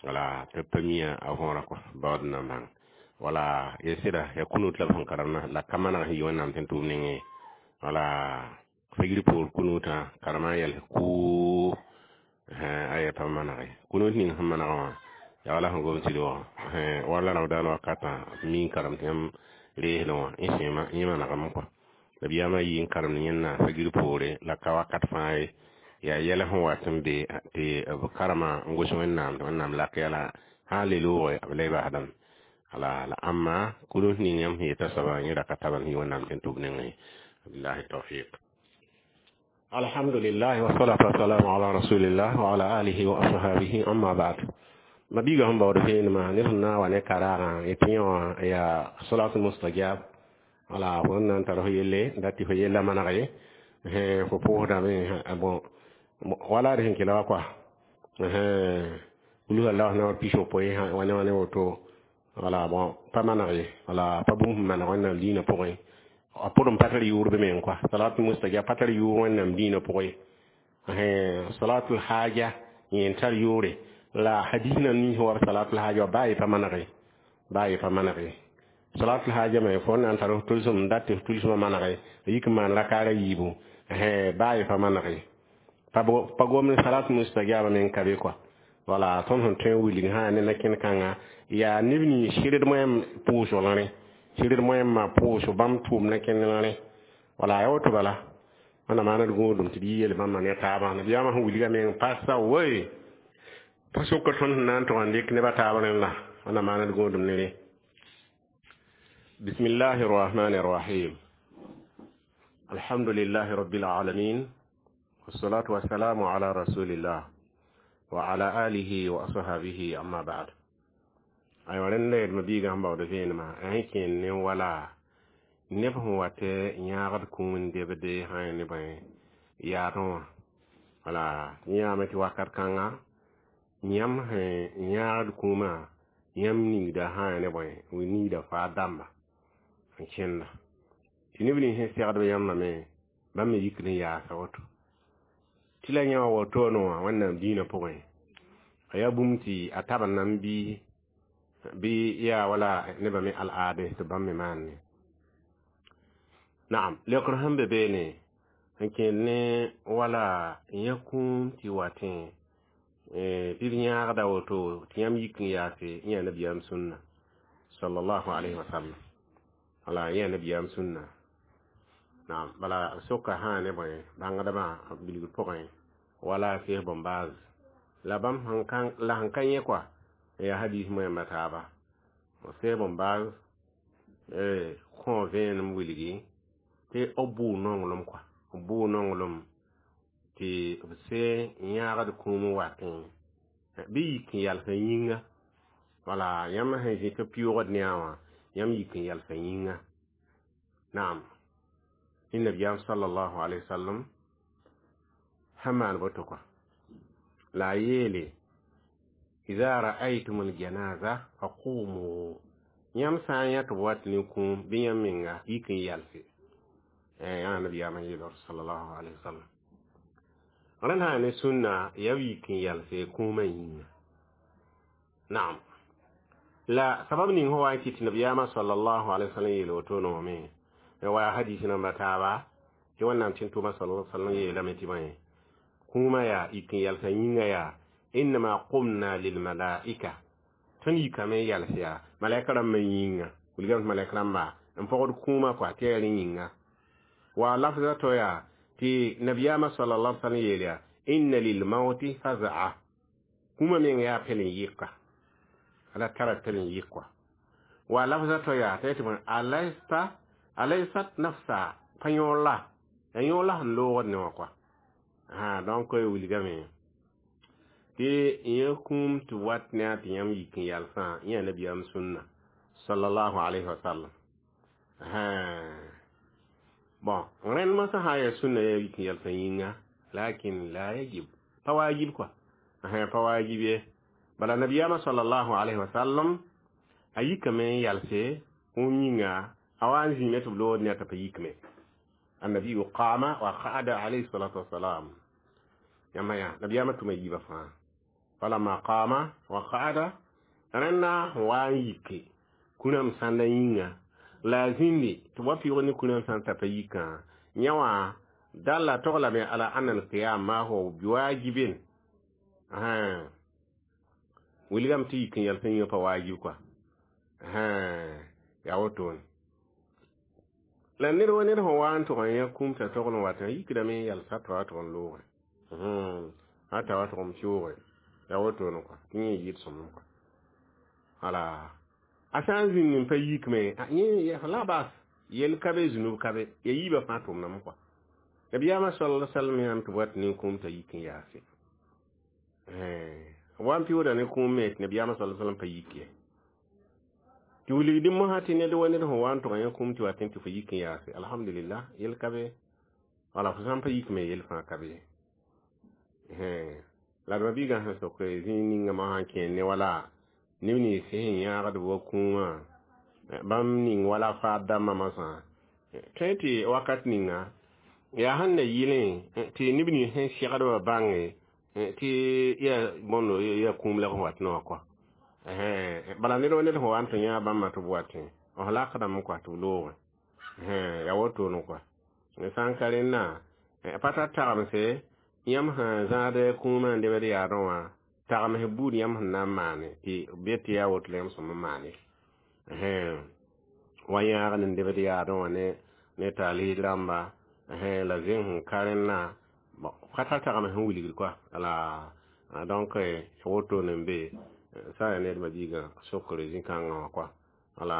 wala tɩ pa mia a võora kɔa baood n na n bãng wala ya sɩda ya kunut la b sẽn karemna la ka maneg sẽn yɩ wẽnnaam tɩ n tʋʋm nengẽ wala fagir poor kunutã karema n yɛls kʋʋ aya pa manege kunut ning sẽn manegã wã yaa wala sẽn gom tɩd wã wala ramadan wakatã mi n karem tɩ yãmb reesdẽ wã yẽ sẽema yẽ manegame kɔa la biyaamã yɩ n karemd yẽnna fagir poore la ka wakat fãa ye yaa yɛl sẽn wat n be tɩ b karema n gos wẽnnaam tɩ wẽnnaam lak yɛla sã n le looge b la y basdame wala la ãmma kunut ning yãmb sẽn yeta soaba yẽ ra ka tabam sẽn yɩ wẽnnaam tɩ n tʋb nengẽ billahi tawfiq. Alhamdulillah, wassalatu wassalamu ala rasulillah wa ala alihi wa ashabihi, amma ba'd. Mabiigã sẽn baood vẽenemã ned sẽn na n wa ne karaagã yetɩ yẽ wã yaa salatul mustajab wala fo n na n tar fo yelle dat tɩ fo yella maneg ye fo pʋʋsdame bon wala d sẽn kela wa kɔa kul allah na wa pisopoe wa ne wa ne woto wala bon pa maneg ye wala pa bũmb sẽn maneg wẽnnaam diinã pʋgẽ a pʋdem pa tar yʋʋr be meng kɔa salatul mustajab pa tar yʋʋr wẽnnaam diinã pʋgẽ salatul haja yẽ n tar yʋʋre la hadis nan nins wa salatul haja wa baa ye pa maneg baa ye pa maneg salatul haja me fo na n tar f tʋlsem n dat tɩ f tʋlsmã manege yik n maan rakaara yiibu baa ye pa manege pa gom ne salatul mustajaba meng ka be kɔa wala tõnd sẽn tõe n wilg sã ne na-kẽnd kãnga yaa neb nins sɩrd moɛm pʋʋsg la rẽ sɩrd moɛmã pʋʋsg bãmb tʋʋm na-kẽnd la rẽ wala ya woto bala wẽnnaam maana d gũudum tɩ d yɩ yel bãmba ne taabã nabiyaamã sẽn wilga meng pasa woe pa sʋka tõnd sẽn na n tʋg n dɩk nebã taab rẽnd la wẽnnaam maana d gũudum ne rẽ. بسم الله الرحمن الرحيم. الحمد لله رب العالمين، والصلاة والسلام على رسول الله وعلى آله وأصحابه، أما بعد. Aywa rẽnd la d mabiigã sẽn baood vẽenemã sẽn kẽen ne wala neb sẽn wa tɩ yãagd kũum n debde sã ne bõe yaadẽ wã wala yãame tɩ wakat kãnga yãmb sẽn yãagd kũumã yãmb ningda sã ne bõe ningda faa dãmba n kẽnda tɩ neb nins sẽn segdb yãmbã me bãmb me yikd n yaasa woto tɩ la yã wã wotone wã wẽnnaam diinã pʋgẽ a yaa bũmb tɩ a tab n nan bɩ yaa wala nebã me al-aade tɩ bãmb me maanne naam leokr sẽn be beene N kẽed ne wala yã kũum tɩ watẽ bɩ b yãagda woto tɩ yãmb yik n yaase yã nabiyaam sũnna sallallahu alayhi wa sallam. Wala yã nabiyaam sũnna. Naam, bala soka sã ne bõe bãngdbã bilgr pʋgẽ wala Sheikh Bombaz la bãmb la sẽn ka yẽ kɔa yaa hadis moẽmba taaba. Sheikh Bombaz kõ vẽenem wilgi tɩ b bʋʋ nonglem kɔa, b bʋʋ nonglem tɩ b se yãagd kũum n watẽ bɩ yik n yalsã yĩnga. Wala yãmb sẽn zĩ tɩ pɩʋʋgd ne a wã, yãmb yik n yalsã yĩnga. Naam, ne nabiyaam sallallahu alaihi wasallam sẽn maan boto kɔa. La a yeele idha ra'aytum aljanaza faqumu, yãmb sã n yã tɩ b wat ne kũum bɩ yãmb menga yik n yalse. Yã nabiyaam n yeel sallallahu alaihi wasallam. Rẽnd sã ne sũnna yaa b yik n yalse kũumã yĩnga. Naam, la sabab ning sẽn wa n kɩt tɩ nabiyaamã sallallahu alaihi wasallam yeel woto noome wa hadis namba taaba tɩ wẽnnaam tɩ n tʋma sallallahu alaihi wasallam yeelame tɩ bõe kũumã yaa yik n yalsã yĩnga yaa innama qumna lilmalaika, tõnd yikame n yals yaa malaika rãmbã yĩnga. Wilgame tɩ malaika rãmba n pɔgd kũumã kɔa tɩ yaa rẽ yĩnga. Wa lafza to yaa tɩ nabiyaamã sallallahu alaihi wasallam yeel yaa inna lilmauti faza'a, kũumã meng yaa pɛl n yɩka, ala tara pɛl n yɩk kɔa. Wa lafza to yaa t'a yetɩ bõe alaysta alaysat nafsa pa yõor la ya yõor la sẽn loogd ne wã kɔa. Donc wilgame tɩ yẽ kũum tɩ wat ne a tɩ yãmb yik n yalsã yã nabiyaam sũnna sallallahu alayhi wa sallam. Bon, rẽnd mosã sã n yaa sũnna yaa yik n yalsã yĩnga, lakin la yajib, pa waajib kɔa, pa waajib ye. Bala nabiyaamã sallallahu alayhi wa sallam a yikame n yalse kũum yĩnga, a wa n zĩime tɩ b loogd ne a t'a pa yikme. Annabiyu qama wa qa'ada alayhi salatu wassalam. Yãmba yaa nabiyaamã tʋma yiibã fãa. Falamma qama wa qa'ada, rẽnda wa n yike kũrãm sãnda yĩnga la a zĩndi tɩ b wa pɩʋʋg ne kũrãm sãn t'a pa yikã. Yã wã dalla toglame ala anna alqiyam ma huwa biwajibin. Wilgame tɩ yik n yalsã yĩngã pa waajib kɔa. Yaa wotone la ned wa ned sẽn wa n tʋg n yã kũum t'a togl n wat n yikdame n yalsa t'a wa tʋg n loogẽ, a t'a wa tʋg n pɩʋʋge. Yaa wotone kɔa tɩ yẽ yɩɩd sõmem kɔa. Wala a sã n zĩnd n pa yikme yẽ la bas yel ka be zũnub ka be ya yiibã fãa tʋmdame kɔa. Nabiyaamã sallallahu alaihi wasallam yãmb tɩ b wat nin-kũum t'a yik n yaase. Wa n pɩʋʋda ne kũum me tɩ nabiyaamã sallallahu alaihi wasallam pa yik ye. Tɩ wilgdɩ mosã tɩ ned wa ned sẽn wa n tʋg yã kũum tɩ wat tɩ fo yik n yaase, alhamdulillah yel ka be. Wala fo sã n pa yikme yel fãa ka be. La d ma-biigã sẽn sok zĩig ninga mosã n kẽer ne wala neb nins sẽn yãagd wa kũumã bãmb ning wala faad dãmbã mosã tõe tɩ wakat ninga yaa sẽn na yɩlẽ tɩ neb nins sẽn segdbã bãnge tɩ yaa bõndo yaa kũum la b sẽn wat ne wã kɔa. Bala ned wa ned sẽn wa n tɩ yã bãmba tɩ b watẽ b lakdame kɔa tɩ b loogẽ. Yaa wotone kɔa. Sã n ka rẽnna pa tar tagemse yãmb sẽn zãad kũumã n lebd yaadẽ wã tagems buud yãmb sẽn na n maane tɩ be tɩ yaa woto la yãmb sõm n maane wa yãag n lebd yaadẽ wã ne taal rãmba la zẽng sẽn ka rẽnna pa tar tagems sẽn wilgd kɔa. La donc wotone n be sã n yaa ned ma-biigã sokr zĩ-kãngã wã kɔa. Wala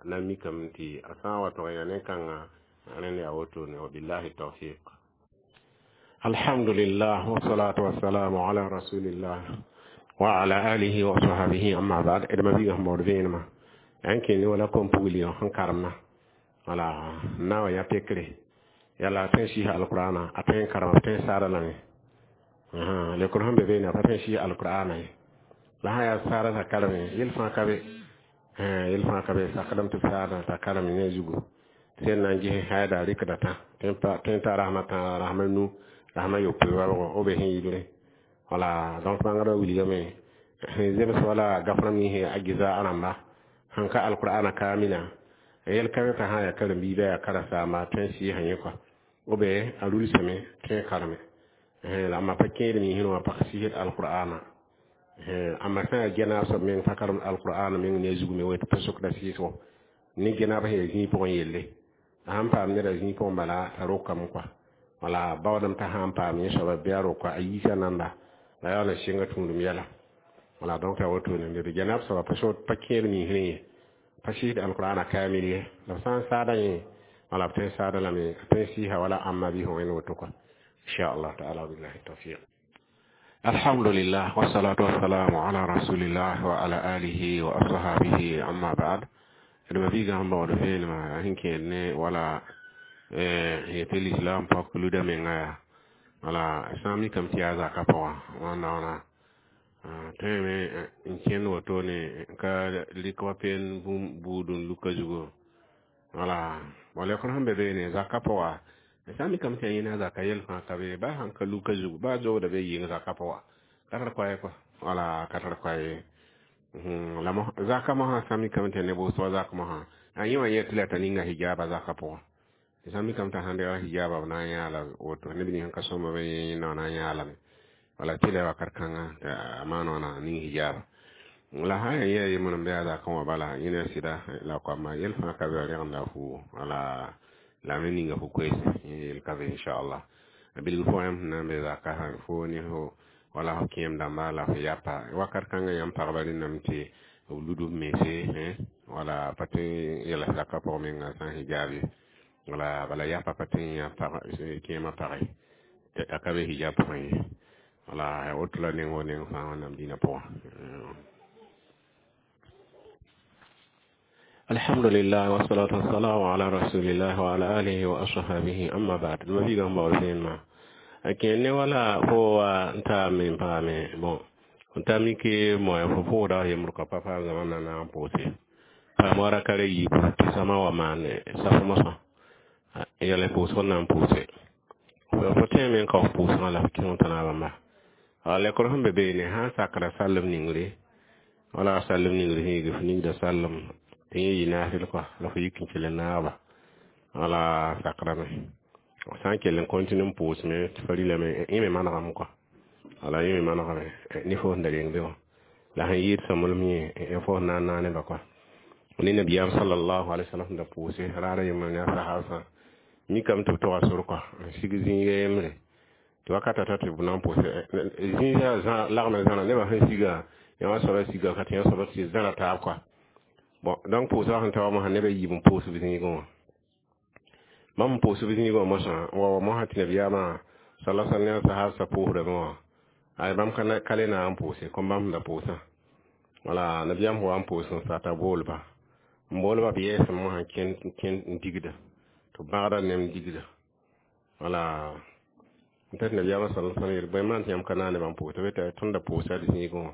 na n mikame tɩ a sã n wa tʋg n yaa ne-kãngã rẽnd yaa wotone. Wabillahi tawfiq. Alhamdulillah wassalatu wassalamu ala rasulillah wa ala alihi wa sahbihi, amma ba'd. D ma-biigã sẽn baood vẽenemã yaa n kẽnd wala kom-pugli sẽn karemna. Wala n na wa yã pekre yala a tõe n sɩɩsa alqur'ana, a tõe n karema, b tõe n saada lame lekr sẽn be beene a pa tõe n sɩɩs alqur'ana ye. La sã yaa saada t'a kareme yel fãa ka be, yel fãa ka be sakdame tɩ b saada t'a karem ne zugu sẽn na n ges haida rɩkda tã tõe n ta rasmã tã rasmã nu rasmã yopoe wabgo b sẽn yɩlre. Wala donc bãngdbã wilgame sẽn zems wala gafrãmb ninsẽ a geza rãmba sẽn ka alqur'ana kaamilã yel ka be t'a sã n yaa karen-biibã yaa karen-saamba tõe n sɩɩsã yẽ kɔa. Ou bien a rulsame tõe n kareme la a ma pa kẽed miisẽ wã pa sɩsd alqur'ana amma sã yaa genaab soab meng pa karemd alqur'ana meng ne a zug me woto pa sokda sɩɩsgo ne genaab sẽn yaa zĩig pʋgẽ yelle a sãn paam neda zĩig pʋgẽ bala t'a rokame kɔa wala baoodem t'a sãn paam yẽ soaba bɩ a roka a yiisa nanda la yaool n sɩnga tũudum yɛla wala donc yaa wotone d genaab soaba pa kẽed miisrẽ ye pa sɩsd alqur'ana kaamil ye la b sã n saada yẽ wala b tõe n saada lame a tõe n sɩɩsa wala ãmba bɩ wẽnd woto kɔa inshallah taala billahi tawfiq. Alhamdulillah wassalatu wassalamu ala rasulillah wa ala alihi wa ashabihi amma ba'd. D ma biigã sẽn baood vẽenemã sẽn kẽed ne wala yetɩ lislaam pak luda menga yaa wala sã n mikame tɩ yaa zaka pʋgã wãnda wãna tõeme n kẽnd wotone ka rɩk wa peen buud n luka zugu wala lekr sẽn be beene zaka pʋga sã n mikame tɩ yaa yẽna zaka yel fãa ka be ba sãn ka luka zugu ba zogda be yɩng zaka pʋga ka tar koɛɛ kɔa wala ka tar koɛɛ ye la zaka mosã sã n mikame tɩ neb wʋsg wa zak mosã a yẽ wã yet tɩ la t'a ninga hijaba zaka pʋgã sã n mikame t'a sãn deega hijaba b na n yãa la woto neb nins sẽn ka sõmba be yẽnda wã na n yãa lame wala tɩ la wakat kãnga a maan wãna ning hijaba la sã n yaa yembr n be a zakẽ wã bala yẽna sɩda la koama yel fãa ka be rẽgenda fu wala la me ninga fu koeese yẽ yel ka be inchallah a bilg fo yãmb sẽn na n be zaka sã fo ne fo wala fo kẽem dãmba la fo yapa wakat kãngã yãmb pagba rẽnname tɩ b lud b mense wala pa tõe n yɛls zakã pʋgẽ menga sã n hijab ye wala bala yapa pa tõe n yã kẽemã page a ka be hijab pʋgẽ ye wala woto la neng wo neng fãa wẽnnaam dĩinã pʋgã. Alhamdulillah wassalatu wassalamu ala rasulillah wa ala alihi wa ashabihi amma ba'd. Ma biigã sẽn baood vẽenemã a kẽer ne wala fo wa n taame n paame bon n ta mike moa fo pʋʋda yembr kɔ pa paam zãma na na n pʋʋse paam wa raka yiibu tɩ sãma wa maan saf mosã yɛl pʋʋsg n na n pʋʋse fo tẽeme n ka f pʋʋsgã la f kẽng t'a naabãmba a lekr sẽn be beene sã n sakra sallem ningre wala sallem ningre sẽn yigi f ningda sallem tɩ yẽ yɩ naasl kɔa la fo yik n kell n naaba wala sakrame sã n kell n continue n pʋʋsme tɩ fa rilame yẽ me manegame kɔa wala yẽ me manegame ne fo sẽn da reng be wã la sẽn yɩɩd sõmblem yẽ fo sẽn na n naa nebã kɔa ne nabiyaam sallallahu alaihi wasallam da pʋʋse raara yembr ne a sahabsã mikame tɩ b toga sor kɔa n sig zĩiga yembre tɩ wakata ta tɩ b na n pʋʋse zĩiga lagmã zãra nebã sẽn siga yã wã soaba siga ka tɩ yã soaba tɩ zãra taab kɔa bon donc pʋʋsgã sẽn ta wa mosã nebã yiib n pʋʋs b zĩigẽ wã bãmb n pʋʋs b zĩigẽ wã mosã wa mosã tɩ nabiyaamã sala sal ne a sahabsã pʋʋsdame wã ay bãmb ka le na n pʋʋse kom bãmb sẽn da pʋʋsã wala nabiyaam wa n pʋʋs n sata boolba n boolba b yɛɛsem mosã kẽnd n digda tɩ b bãgda nem digda wala n tɩ nabiyaamã sala sal yeel bõe maan tɩ yãmb ka na nebã n pʋʋs tɩ b yeta tõnd da pʋʋsa d zĩigẽ wã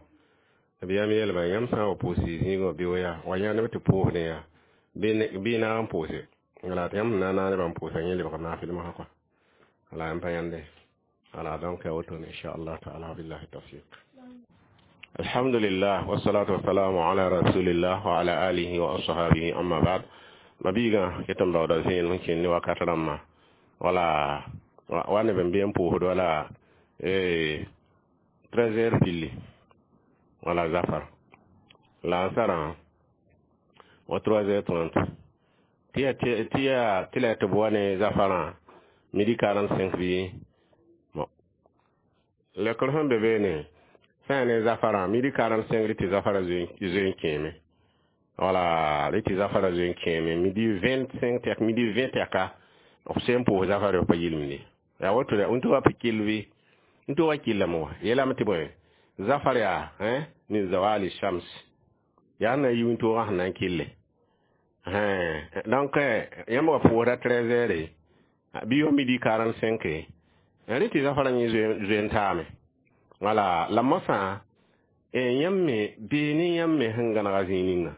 nabiyaam yeelba yãmb sã n wa pʋʋs zĩigẽ wã bɩ yaa wa yã neb tɩ pʋʋsdẽ yaa bɩ naag n pʋʋse wala tɩ yãmb sẽn na n naag nebã n pʋʋsa yẽ lebg naafɩl mosã kɔa wala yãmb pa yãnde wala donc ya wotone inchallah taala billahi tawfiq. Alhamdulillah wassalatu wassalamu ala rasulillah wa ala alihi wa ashabihi amma ba'd. Ma biigã ket n baooda vẽenem n kẽnd ne wakat rãmbã wala wa neb n be n pʋʋsd wala 13 heures pilli wala zafar la n sarã wa 3 heures 30 tɩ yaa tɩ la tɩ b wa ne zafarã midi 45 bɩ bon lekr sẽn be beene sã yaa ne zafarã midi 45 rɩ tɩ zafara zoe n kẽeme wala rɩ tɩ zafara zoe n kẽeme midi 25 tɛk midi 20 tɛka b sẽn pʋʋs zafara pa yɩlemde yaa woto n tɩ wa pa kell bɩ n tɩ wa killame wa yeelame tɩ bõe zafar yaa min zawali shams yaa na yi wĩntoogã sẽn na n kille donc yãmb wa pʋʋsda 13 heures bɩ yo midi 45 rɩ tɩ zafara yẽ zoe n taame wala la mosã yãmb me beene yãmb me sẽn gãnega zĩig ninga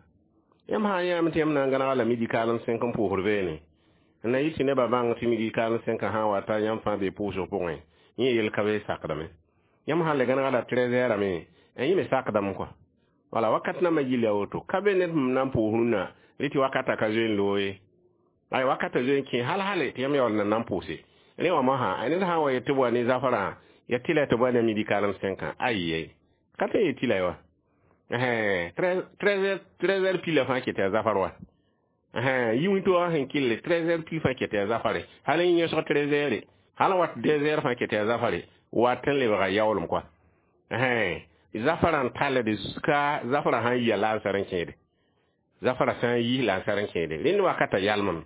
yãmb sã n yãame tɩ yãmb na n gãnega la midi 45 n pʋʋsd beene n na yɩl tɩ nebã bãng tɩ midi 45 sã n wa ta yãmb fãa be pʋʋsg pʋgẽ yẽ yel ka be sakdame yãmb sã n le gãnega la 13 heures me n yẽ me sakdame kɔa wala wakat nambã yɩl ya woto ka be ned sẽn na n pʋʋs rũnnã rɩ tɩ wakata ka zoe n loog ye ay wakata zoe n kẽ hal hale tɩ yãmb yaool na n pʋʋse Rẽ wã mosã ned sã n wa yet tɩ b wa ne zafarã ya tɩla tɩ b wa ne midi karem sẽnkã ayi ka tõe n yet tɩla ye wa. 13 heures pile fãa ket yaa zafar wa. Yi wĩntoogã sẽn kɩlle 13 heures pile fãa ket yaa zafare. Hal n yẽsg 13 heures hal n wat 2 heures fãa ket yaa zafare wat n lebga yaoolem kɔa. Zafarã n tallde jusqu'à zafarã sã n yia la n sar n kẽede. Zafara sã n yi la n sar n kẽede. Rẽnd wakata yalmame.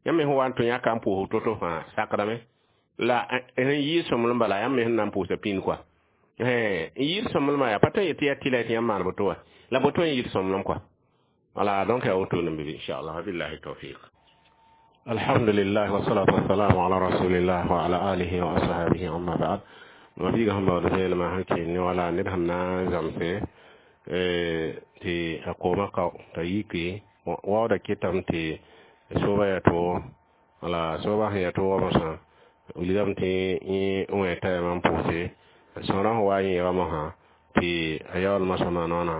Yãmb me sẽn wa n tũ yãka n pʋʋsg to-to fãa sakdame. La sẽn yɩɩd sõmblem bala yãmb me sẽn na n pʋʋsa pĩnd kɔa. N yɩɩd sõmblemã yaa pa tõe n yet tɩ yaa tɩla tɩ yãmb maan boto wa. La boto n yɩɩd sõmblem kɔa. Wala donc yaa wotone n be inshallah billahi tawfiq. Alhamdulillah wassalatu wassalamu ala rasulillah wa ala alihi wa ashabihi amma ba'd. Ma biiga sẽn baood vẽenemã sẽn kẽ ne wala ned sẽn na n zãmse tɩ a koomã kao t'a yike waoodã ketame tɩ soobã yaa toogo wala soobã sẽn yaa toogã mosã wilgame tɩ yẽ wẽ tayɛmã n pʋʋse sõorã sẽn wa n yẽega mosã tɩ a yaool mosã maanoonã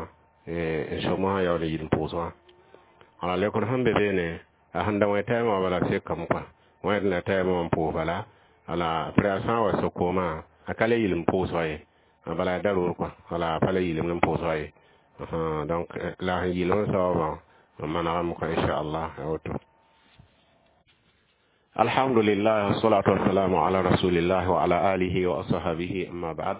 n so mosã yaool n yid n pʋʋs wã. Wala lekr sẽn be beene a sẽn da wẽ tayɛmã wã bala sekame kɔa wẽd la tayɛmã wã n pʋʋs bala wala apres a sã n wa so koomã a ka le yɩl n pʋʋs wa ye bala a daroor kɔa wala a pa le yɩlem n pʋʋs wa ye. Donc la sẽn yɩl n saoobã n manegame kɔa inchallah ya woto. Alhamdulillah wassalatu wassalamu ala rasulillah wa ala alihi wa ashabihi amma ba'd.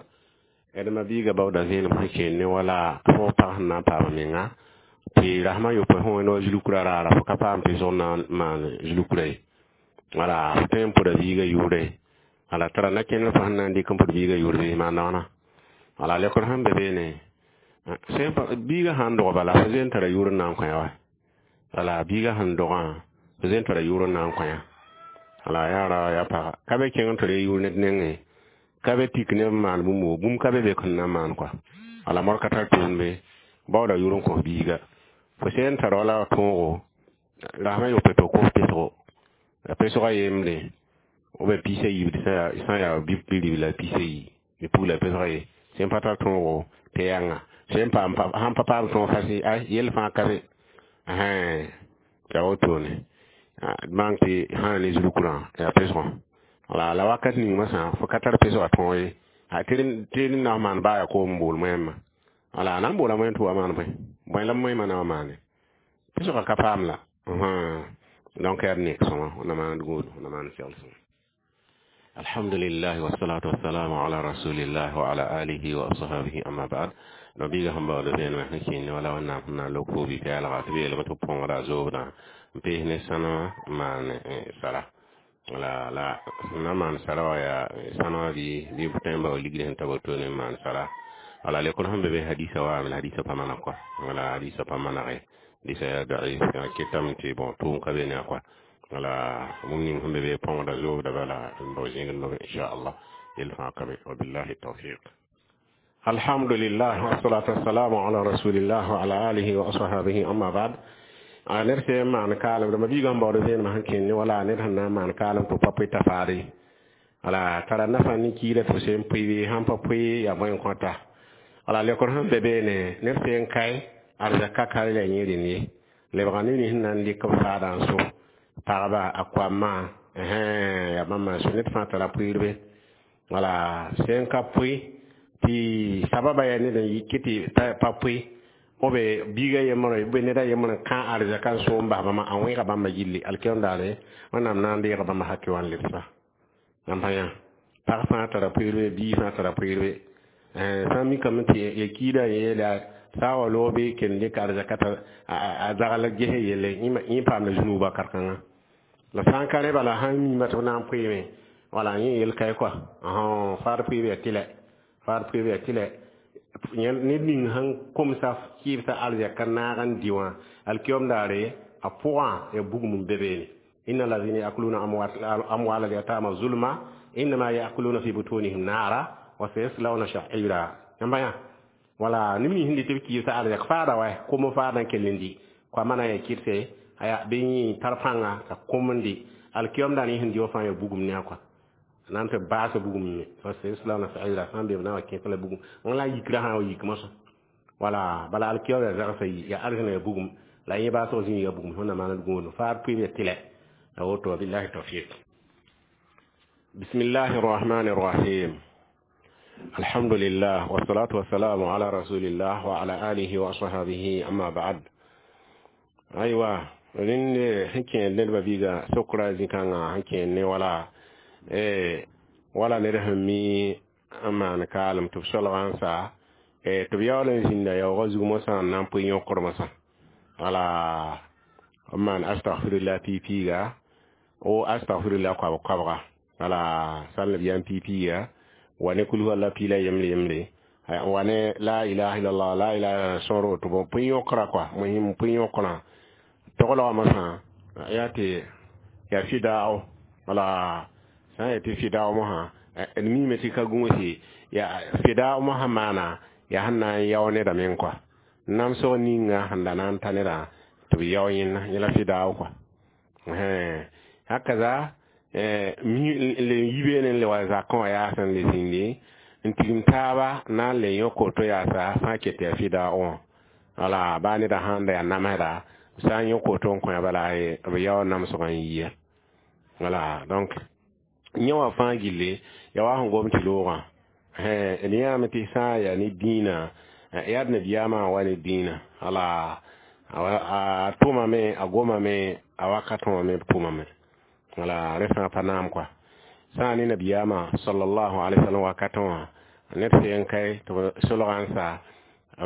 D ma biiga baooda vẽenem sẽn kẽen ne wala fo pag sẽn na n paam menga tɩ rasmã yopoe sẽn wẽnd wa zulukra raara fo ka paam tɩ zog na n maan zulukra ye. Wala fo tõe n pʋda biiga yʋʋre wala tara na kẽndr fo sẽn na n dɩk n pʋd biiga yʋʋr bɩ maan noona. Wala lekr sẽn be beene biiga sãn dog bala fo zoe n tara yʋʋr n na n kõ wa. Wala biiga sẽn dogã fo zoe n tara yʋʋr n na n kõ ya. Wala yaa ra yaa paga ka be kẽng n tɩ re yʋʋr ned nengẽ ka be tik neb n maan bũmb woo bũmb ka be be sẽn na n maan kɔa. Wala mor ka tar tʋʋm be baooda yʋʋr n kos biiga. Fo sẽn tar wala tõogo rasmã yopoe tɩ f kos pesgo. La pesgã yembre ou bien piis a yiib sã n yaa bi-ribla piis a yi bɩ pugla pesgã ye sẽn pa tar tõogo tɩ yãnga sẽn paam sãn pa paam tõog fasɩ ay yell fãa ka be yaa wotone maan tɩ sã ne zulkurã yaa pesgã. Wala la wakat ning masã fo ka tar pesgã tõog ye tɩ d na n maan baa yaa koom n bool moẽmã. Wala a na n boola moẽm tɩ wa maan bõe bõe la moẽmã na wa maane pesgã ka paam la. Donc yaa d nek sõma na maan gũud na maan segl sõma. Alhamdulillah wassalatu wassalamu ala rasulillah wa ala alihi wa ashabihi amma ba'd. No biiga sẽn baood vẽenemã sẽn kẽen ne wala wẽnnaam sẽn na n lok fo bi-pɛɛlga tɩ b yeelame tɩ b põogra zoobdã n pees ne sãnema n maan sara. Wala la sẽn na n maan sara wã yaa sãnema bɩ b tõe n bao ligd sẽn ta wotone n maan sara. Wala lekr sẽn be be hadisa waame la hadisa pa maneg kɔa. Wala hadisa pa manege hadisa yaa daif yaa ketame tɩ bon tʋʋm ka be ne a kɔa. Wala bũmb ning sẽn be be põogra zoobda bala n bao zĩigd nobe inchallah yell fãa ka be wabillahi tawfiq. Alhamdulillah wassalatu wassalamu ala rasulillah wa ala alihi wa ashabihi amma ba'd. A ned sẽn maan kaalem dãmba biigã sẽn baood vẽenemã sẽn kẽen ne wala ned sẽn na n maan kaalem tɩ pa pʋɩ t'a faade. Wala tara nafa ne kiirã tɩ f sẽn pʋɩ bɩ sãn pa pʋɩ yaa bõe n kõta. Wala lekr sẽn be beene ned sẽn kae arzaka ka la yẽ rẽnd ye. Lebga ne nins sẽn na n dɩk b faadã n so pagba a koamã yaa bãmba n so ned fãa tara pʋɩɩrbe. Wala sẽn ka pʋɩ tɩ sababa yaa ned n yik tɩ pa pʋɩ b biiga yembre b ned a yembr n kã arzaka n so n bas bãmba a wẽega bãmba yilli alkiom daare wẽnnaam na n deega bãmba hakɩ wã n lebsa. Yãmb pa yã pag fãa tara pʋɩɩrbe bii fãa tara pʋɩɩrbe. Sã n mikame tɩ ya kiidã yeela sã n wa loog bɩ kell n dɩk arzaka t'a a zagl ges yelle yẽ paamda zũnuuba kar-kãngã. La sã n ka rẽ bala sãn miima tɩ b na n pʋɩɩme wala yẽ yel kae kɔa. Faad pʋɩɩb yaa tɩlɛ faad pʋɩɩb yaa tɩlɛ ned ning sẽn komsa kɩɩbsã arzɛka naag n dɩ wã alkiom daare a pʋgã yaa bugum n be beene. Inna lazina yakuluna amwala alyatama zulma innama yakuluna fi butunihim naara wa sayaslawna sha'ira. Yãmba yã wala neb nins sẽn dɩ tɩ b kɩɩbsã arzɛk faada wa kom faadã kell n dɩ koa mana yaa kɩrse aya bɩ yẽ tar pãnga t'a kom n dɩ alkiom daar yẽ sẽn dɩ wã fãa yaa bugum ne a kɔa. Na n tɩ baasa bugum me wa sayaslawna sa'ira sã n be b na n wa kẽes la bugum wãn la a yikra sã n wa yik mosã. Wala bala alkiom yaa zagsã yi yaa arzẽna yaa bugum la yẽ baasg zĩig yaa bugum sẽn na maan d gũudum faad pʋɩɩb yaa tɩlɛ. Ya woto billahi tawfiq. بسم الله الرحمن الرحيم الحمد لله والصلاة والسلام على رسول الله وعلى آله وأصحابه أما بعد أيوة rẽnd sẽn kẽer nedbã biiga sokra zĩ-kãngã sẽn kẽer ne wala wala ned sẽn mi n maan kaalem tɩ b solgã n sa tɩ b yaool n zĩnda yaoogã zug mosã n na n pʋɩ yõkr mosã wala b maan astagfirullah piig-piiga o astagfirullah koabg-koabga wala sãn b yam piig-piiga wa ne kul huwa piila yembre yembre wa ne la ilaha illallah la ilaha sõor woto bõ pʋɩ yõkra kɔa muhim pʋɩ yõkrã toglgã mosã yaa tɩ yaa fɩdaao wala sã n yetɩ fɩdaao mosã d miime tɩ ka gũusi yaa fɩdaao mosã maana yaa sẽn na n yao nedã meng kɔa namsg ninga sẽn da na n ta nedã tɩ b yao yẽnda yẽ la fɩdaao kɔa hakaza le yi beene n le wa zakẽ wã yaa sẽn le zĩndi n tigim taaba na n le yõk woto yaasa fãa ket tɩ yaa fɩdaao wã wala baa neda sãn da yaa namsda sã n yõk woto n kõ bala b yao namsgã n yiya wala donc yẽ wã fãa gilli ya wa sẽn gom tɩ loogã d yãame tɩ sã n yaa ne dĩinã yaa d nabiyaamã wa ne dĩinã wala a tʋmame a gomame a wakat wã me b tʋmame wala rẽ fãa pa naam kɔa sã n ne nabiyaamã sallallahu alaihi wasallam wakatẽ wã ned sẽn kae tɩ b solgã n sa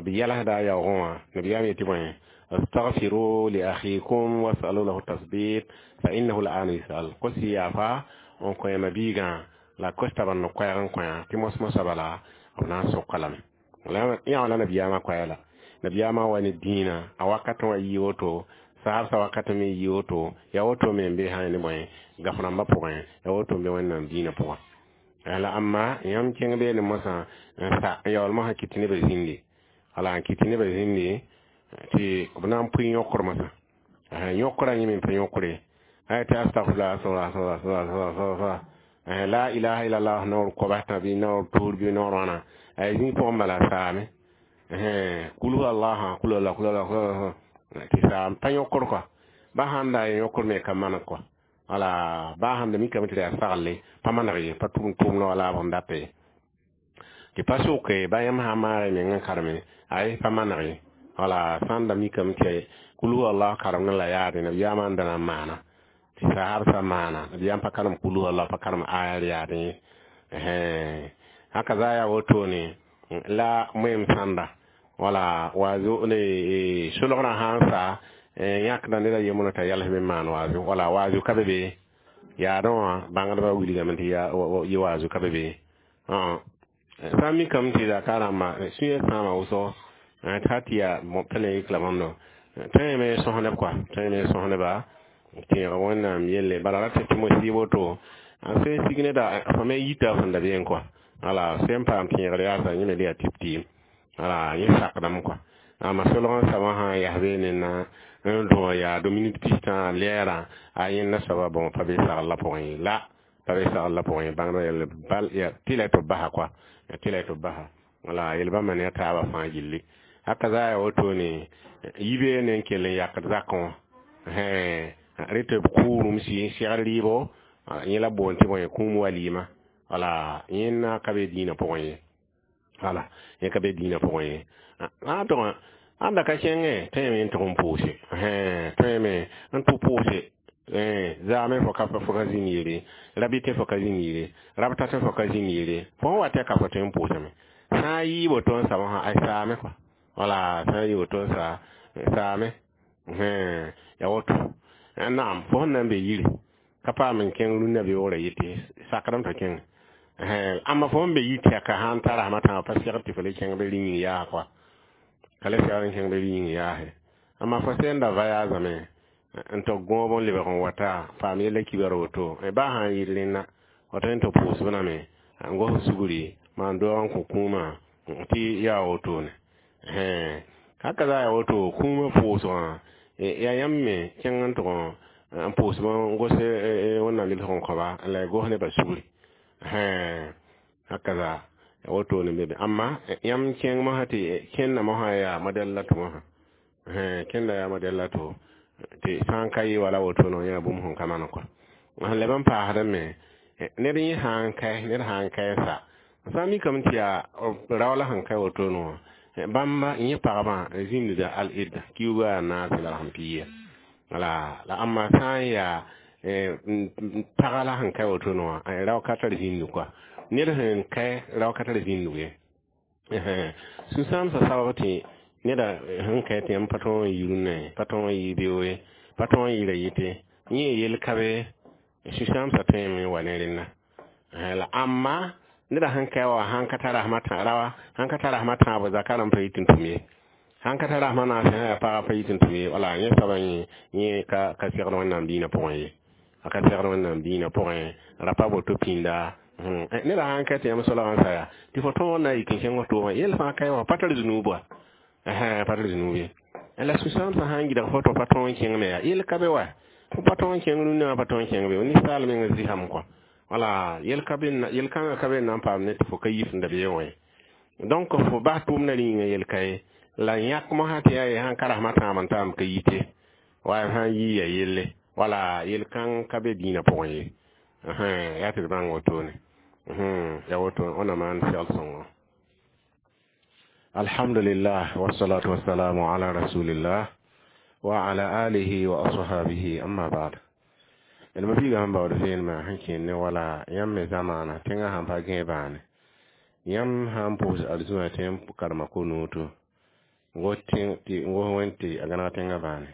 b yɛlsda a yaoogẽ wã nabiyaam yetɩ bõe استغفروا لأخيكم واسألوا له التثبيت فإنه الآن يسأل قسي يافا n kõ yãmb biigã la kosta bãnd koɛɛg n kõ tɩ mos-mosã bala b na n soka lame yã wã la nabiyaamã koɛɛ la nabiyaamã wa ne dĩinã a wakatẽ wã yɩ woto saabsã wakat me yɩ woto yaa woto me n be sã ne bõe gaf rãmbã pʋgẽ yaa woto n be Wẽnnaam dĩinã pʋgã la amma yãmb kẽng beene mosã n sa n yaool mosã kɩt tɩ nebã zĩndi wala n kɩt tɩ nebã zĩndi tɩ b na n pʋɩ yõkr mosã yõkrã yẽ me n pa yõkre ay tɩ astagfirullah astagfirullah astagfirullah la ilaha illallah naoor koabsã bɩ naoor tusr bɩ naoor wãna ay zĩig pʋgẽ bala saame kul hu allah kul allah kul allah tɩ saam pa yõkr kɔa ba sãn da yõkr me ka maneg kɔa wala ba sãn da mikame tɩ yaa saglle pa maneg ye pa tʋm tʋʋmdã wala b sẽn data ye tɩ pa soke ba yãmb sã maag y meng n kareme ay pa maneg ye wala sãn da mikame tɩ kul hu allah karemdẽ la yaade nabiyaamã n da na n maana tɩ sahabsã maana nabiyaam pa karem kul hu allah pa karem aya yaadẽ ye haka za yaa wotone la moem sãnda wala waazo ne solgrã sã n sa yãkda ned a yembrã t'a yals me n maan waazo wala waazo ka be be yaadẽ wã bãngdbã wilgame tɩ yɩ waazo ka be be sã n mikame tɩ zaka rãmba sũyã sãama wʋsgo t'a tɩ yaa pa le yik la bãmb tõe me sõs neb kɔa tõe me sõs neba tẽeg Wẽnnaam yelle bala ra tɩ mos yɩ woto a sẽn sig neda fo me yita sẽn da beẽ kɔa wala sẽn paam tẽegr yaasa yẽ me le yaa tɩp-tɩɩm wala yẽ sakdame kɔa amma solg n soabã sã n yas beene na n dõ yaa do minit pistã lɛɛrã a yẽnda soaba bõ pa be sagl la pʋgẽ ye la pa be sagl la pʋgẽ ye bãngdbã yell bal tɩ la tɩ b basa kɔa tɩ la tɩ b basa wala yel bãmba ne a taabã fãa gilli haka za yaa wotone yi beene n kell n yakd zakẽ wã rẽ tɩ b kʋʋremsi n segd rɩɩbo yẽ la boond tɩ bõe kũum walima wala yẽnda ka be dĩinã pʋgẽ ye wala yẽ ka be dĩinã pʋgẽ ye a tʋg ãnda ka kẽngẽ tõeme n tʋg n pʋʋse tõeme n tʋ pʋʋse zaame fo ka fo ka zĩnd yere rabɩ fo ka zĩnd yere rabta tɩ fo ka zĩnd yere fo sẽn wa tɩ ka fo tõe n pʋʋsame sã n yɩ woto n sa mosã ay saame kɔa wala sã n yɩ woto n sa saame ya woto naam fo sẽn na n be yiri ka paam n kẽng rũnnã beoogrã yetɩ sakdame tɩ kẽng amma fo sẽn be yir tɛka sã n tara sãma tãag pa segd tɩ fo le kẽng be rĩ-yĩng yaa kɔa ka le segd n kẽng be rĩ-yĩng yaase amma fo sẽn da vayaazame n tɩ gõob n lebg n wata paam yella kibar woto baa sã n yɩ rẽnna fo tõe n tɩ pʋʋsb lame n gos sugri maan doog n kõ kũumã tɩ yaa wotone haka za yaa woto kũumã pʋʋsgã yaa yãmb me kẽng n tʋg n pʋʋsb n gos Wẽnnaam yel-sg n kõba la y gos nebã sugri haka za wotone be amma yãmb kẽng mosã tɩ kẽnda mosã yaa modɛl la tɩ mosã kẽnda yaa modɛl la tɩ tɩ sã n ka yɩ wala woto no yaa bũmb sẽn ka maan kɔa sẽn leb n paasdame Ned yẽ sã n kae, ned sã n kae sa sã n mikame tɩ yaa rao la sẽn kae wotone wã, bãmba yẽ pagbã zĩndda al-idda kiuugã yaa naase la sẽn pɩ wala. La ãmba sã n yaa pagã la sẽn kae wotone wã, rao ka tar zĩnd koa. Ned sẽn kae, rao ka tar zĩndg ye. Sũ-sãamsã sabab tɩ neda sẽn kae tɩ yãmb pa tõog n yi rũnnã ye, pa tõog n yɩ beoog ye, pa tõog n yɩra yɩte yẽ yel ka be. Sũ-sãamsã tõeme n wa ne rẽnda. La ãmba neda sẽn kae wa sãn ka tar rasmã rawa, sãn ka tar rasmã tãabo zakã rãmb pa yit n tʋm ye, sãn ka tar rasmã naase, sã yaa pagã pa yit n tʋm ye. Wala yẽ soabã yẽ ka segd Wẽnnaam diinã pʋgẽ ye, a ka segd Wẽnnaam diinã pʋgẽ, ra pa boto pĩnda. Neda sãn ka tɩ yãmb solgã n sa yaa tɩ fo tõog n na n yik n kẽng f tʋʋmã, yell fãa kae wã pa tar zunub wa, pa tar zunub ye. La sũ-sãamsã sã n gɩdg fo tɩ pa tõog n kẽng me, yaa yell ka be wa, fo pa tõog n kẽng rũnnã wã, pa tõog n kẽng be ninsaal meng zɩsam kɔa. Wala yel kãngã ka be n na n paam ne tɩ fo ka yif n da beoogẽ. Donc fo bas tʋʋmdã rĩnga yel ka ye. La yãk mosã tɩ yaa ye sãn ka rasmã tãab n taam ka yite wa sã n yii ya yelle. Wala yel kãng ka be dĩinã pʋgẽ ye. Yaa tɩ d bãng wotone, ya woto wẽnnaam maan segl sõngo. Alhamdulillah, wassalatu wassalamu ala rasulillah wa ala alihi wa ashabihi, amma ba'd. D ma biigã sẽn baood vẽenemã sẽn kẽer ne wala yãmb me zamaana tẽngã sãn pa gãe bãane, yãmb sã n pʋʋs arzũa tɩ yãmb karema ko-nuuto n gos wẽnd tɩ a gãneg tẽngã bãane.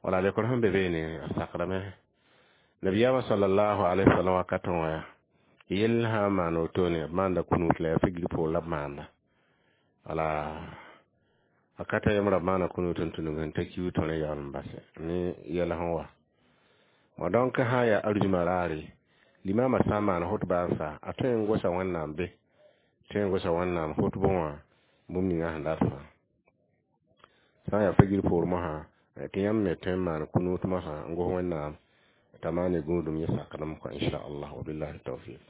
Wala lekr sẽn be beene a sakdame nabiyaamã sallallahu alaihi wasallam wakatẽ wã yaa yell sã n maan wotone, b maanda kunut la yaa figr poor la b maanda. Wala wakata yembra b maana kunut n tũnug n ta kiu tõr n yaool n base ne yɛl sẽn wa ma. Donc sã n yaa arzũma raare, limama sã n maan hotba n sa, a tõe n gosa Wẽnnaam be, tõe n gosa Wẽnnaam hotbẽ wã bũmb ninga sẽn dat fãa. Sã n yaa figr poor mosã tɩ yãmb me tõe n maan kunut mosã n gos Wẽnnaam t'a maane gũudum yẽ sakdem kɔ, inchallah. Wabillahi tawfiq.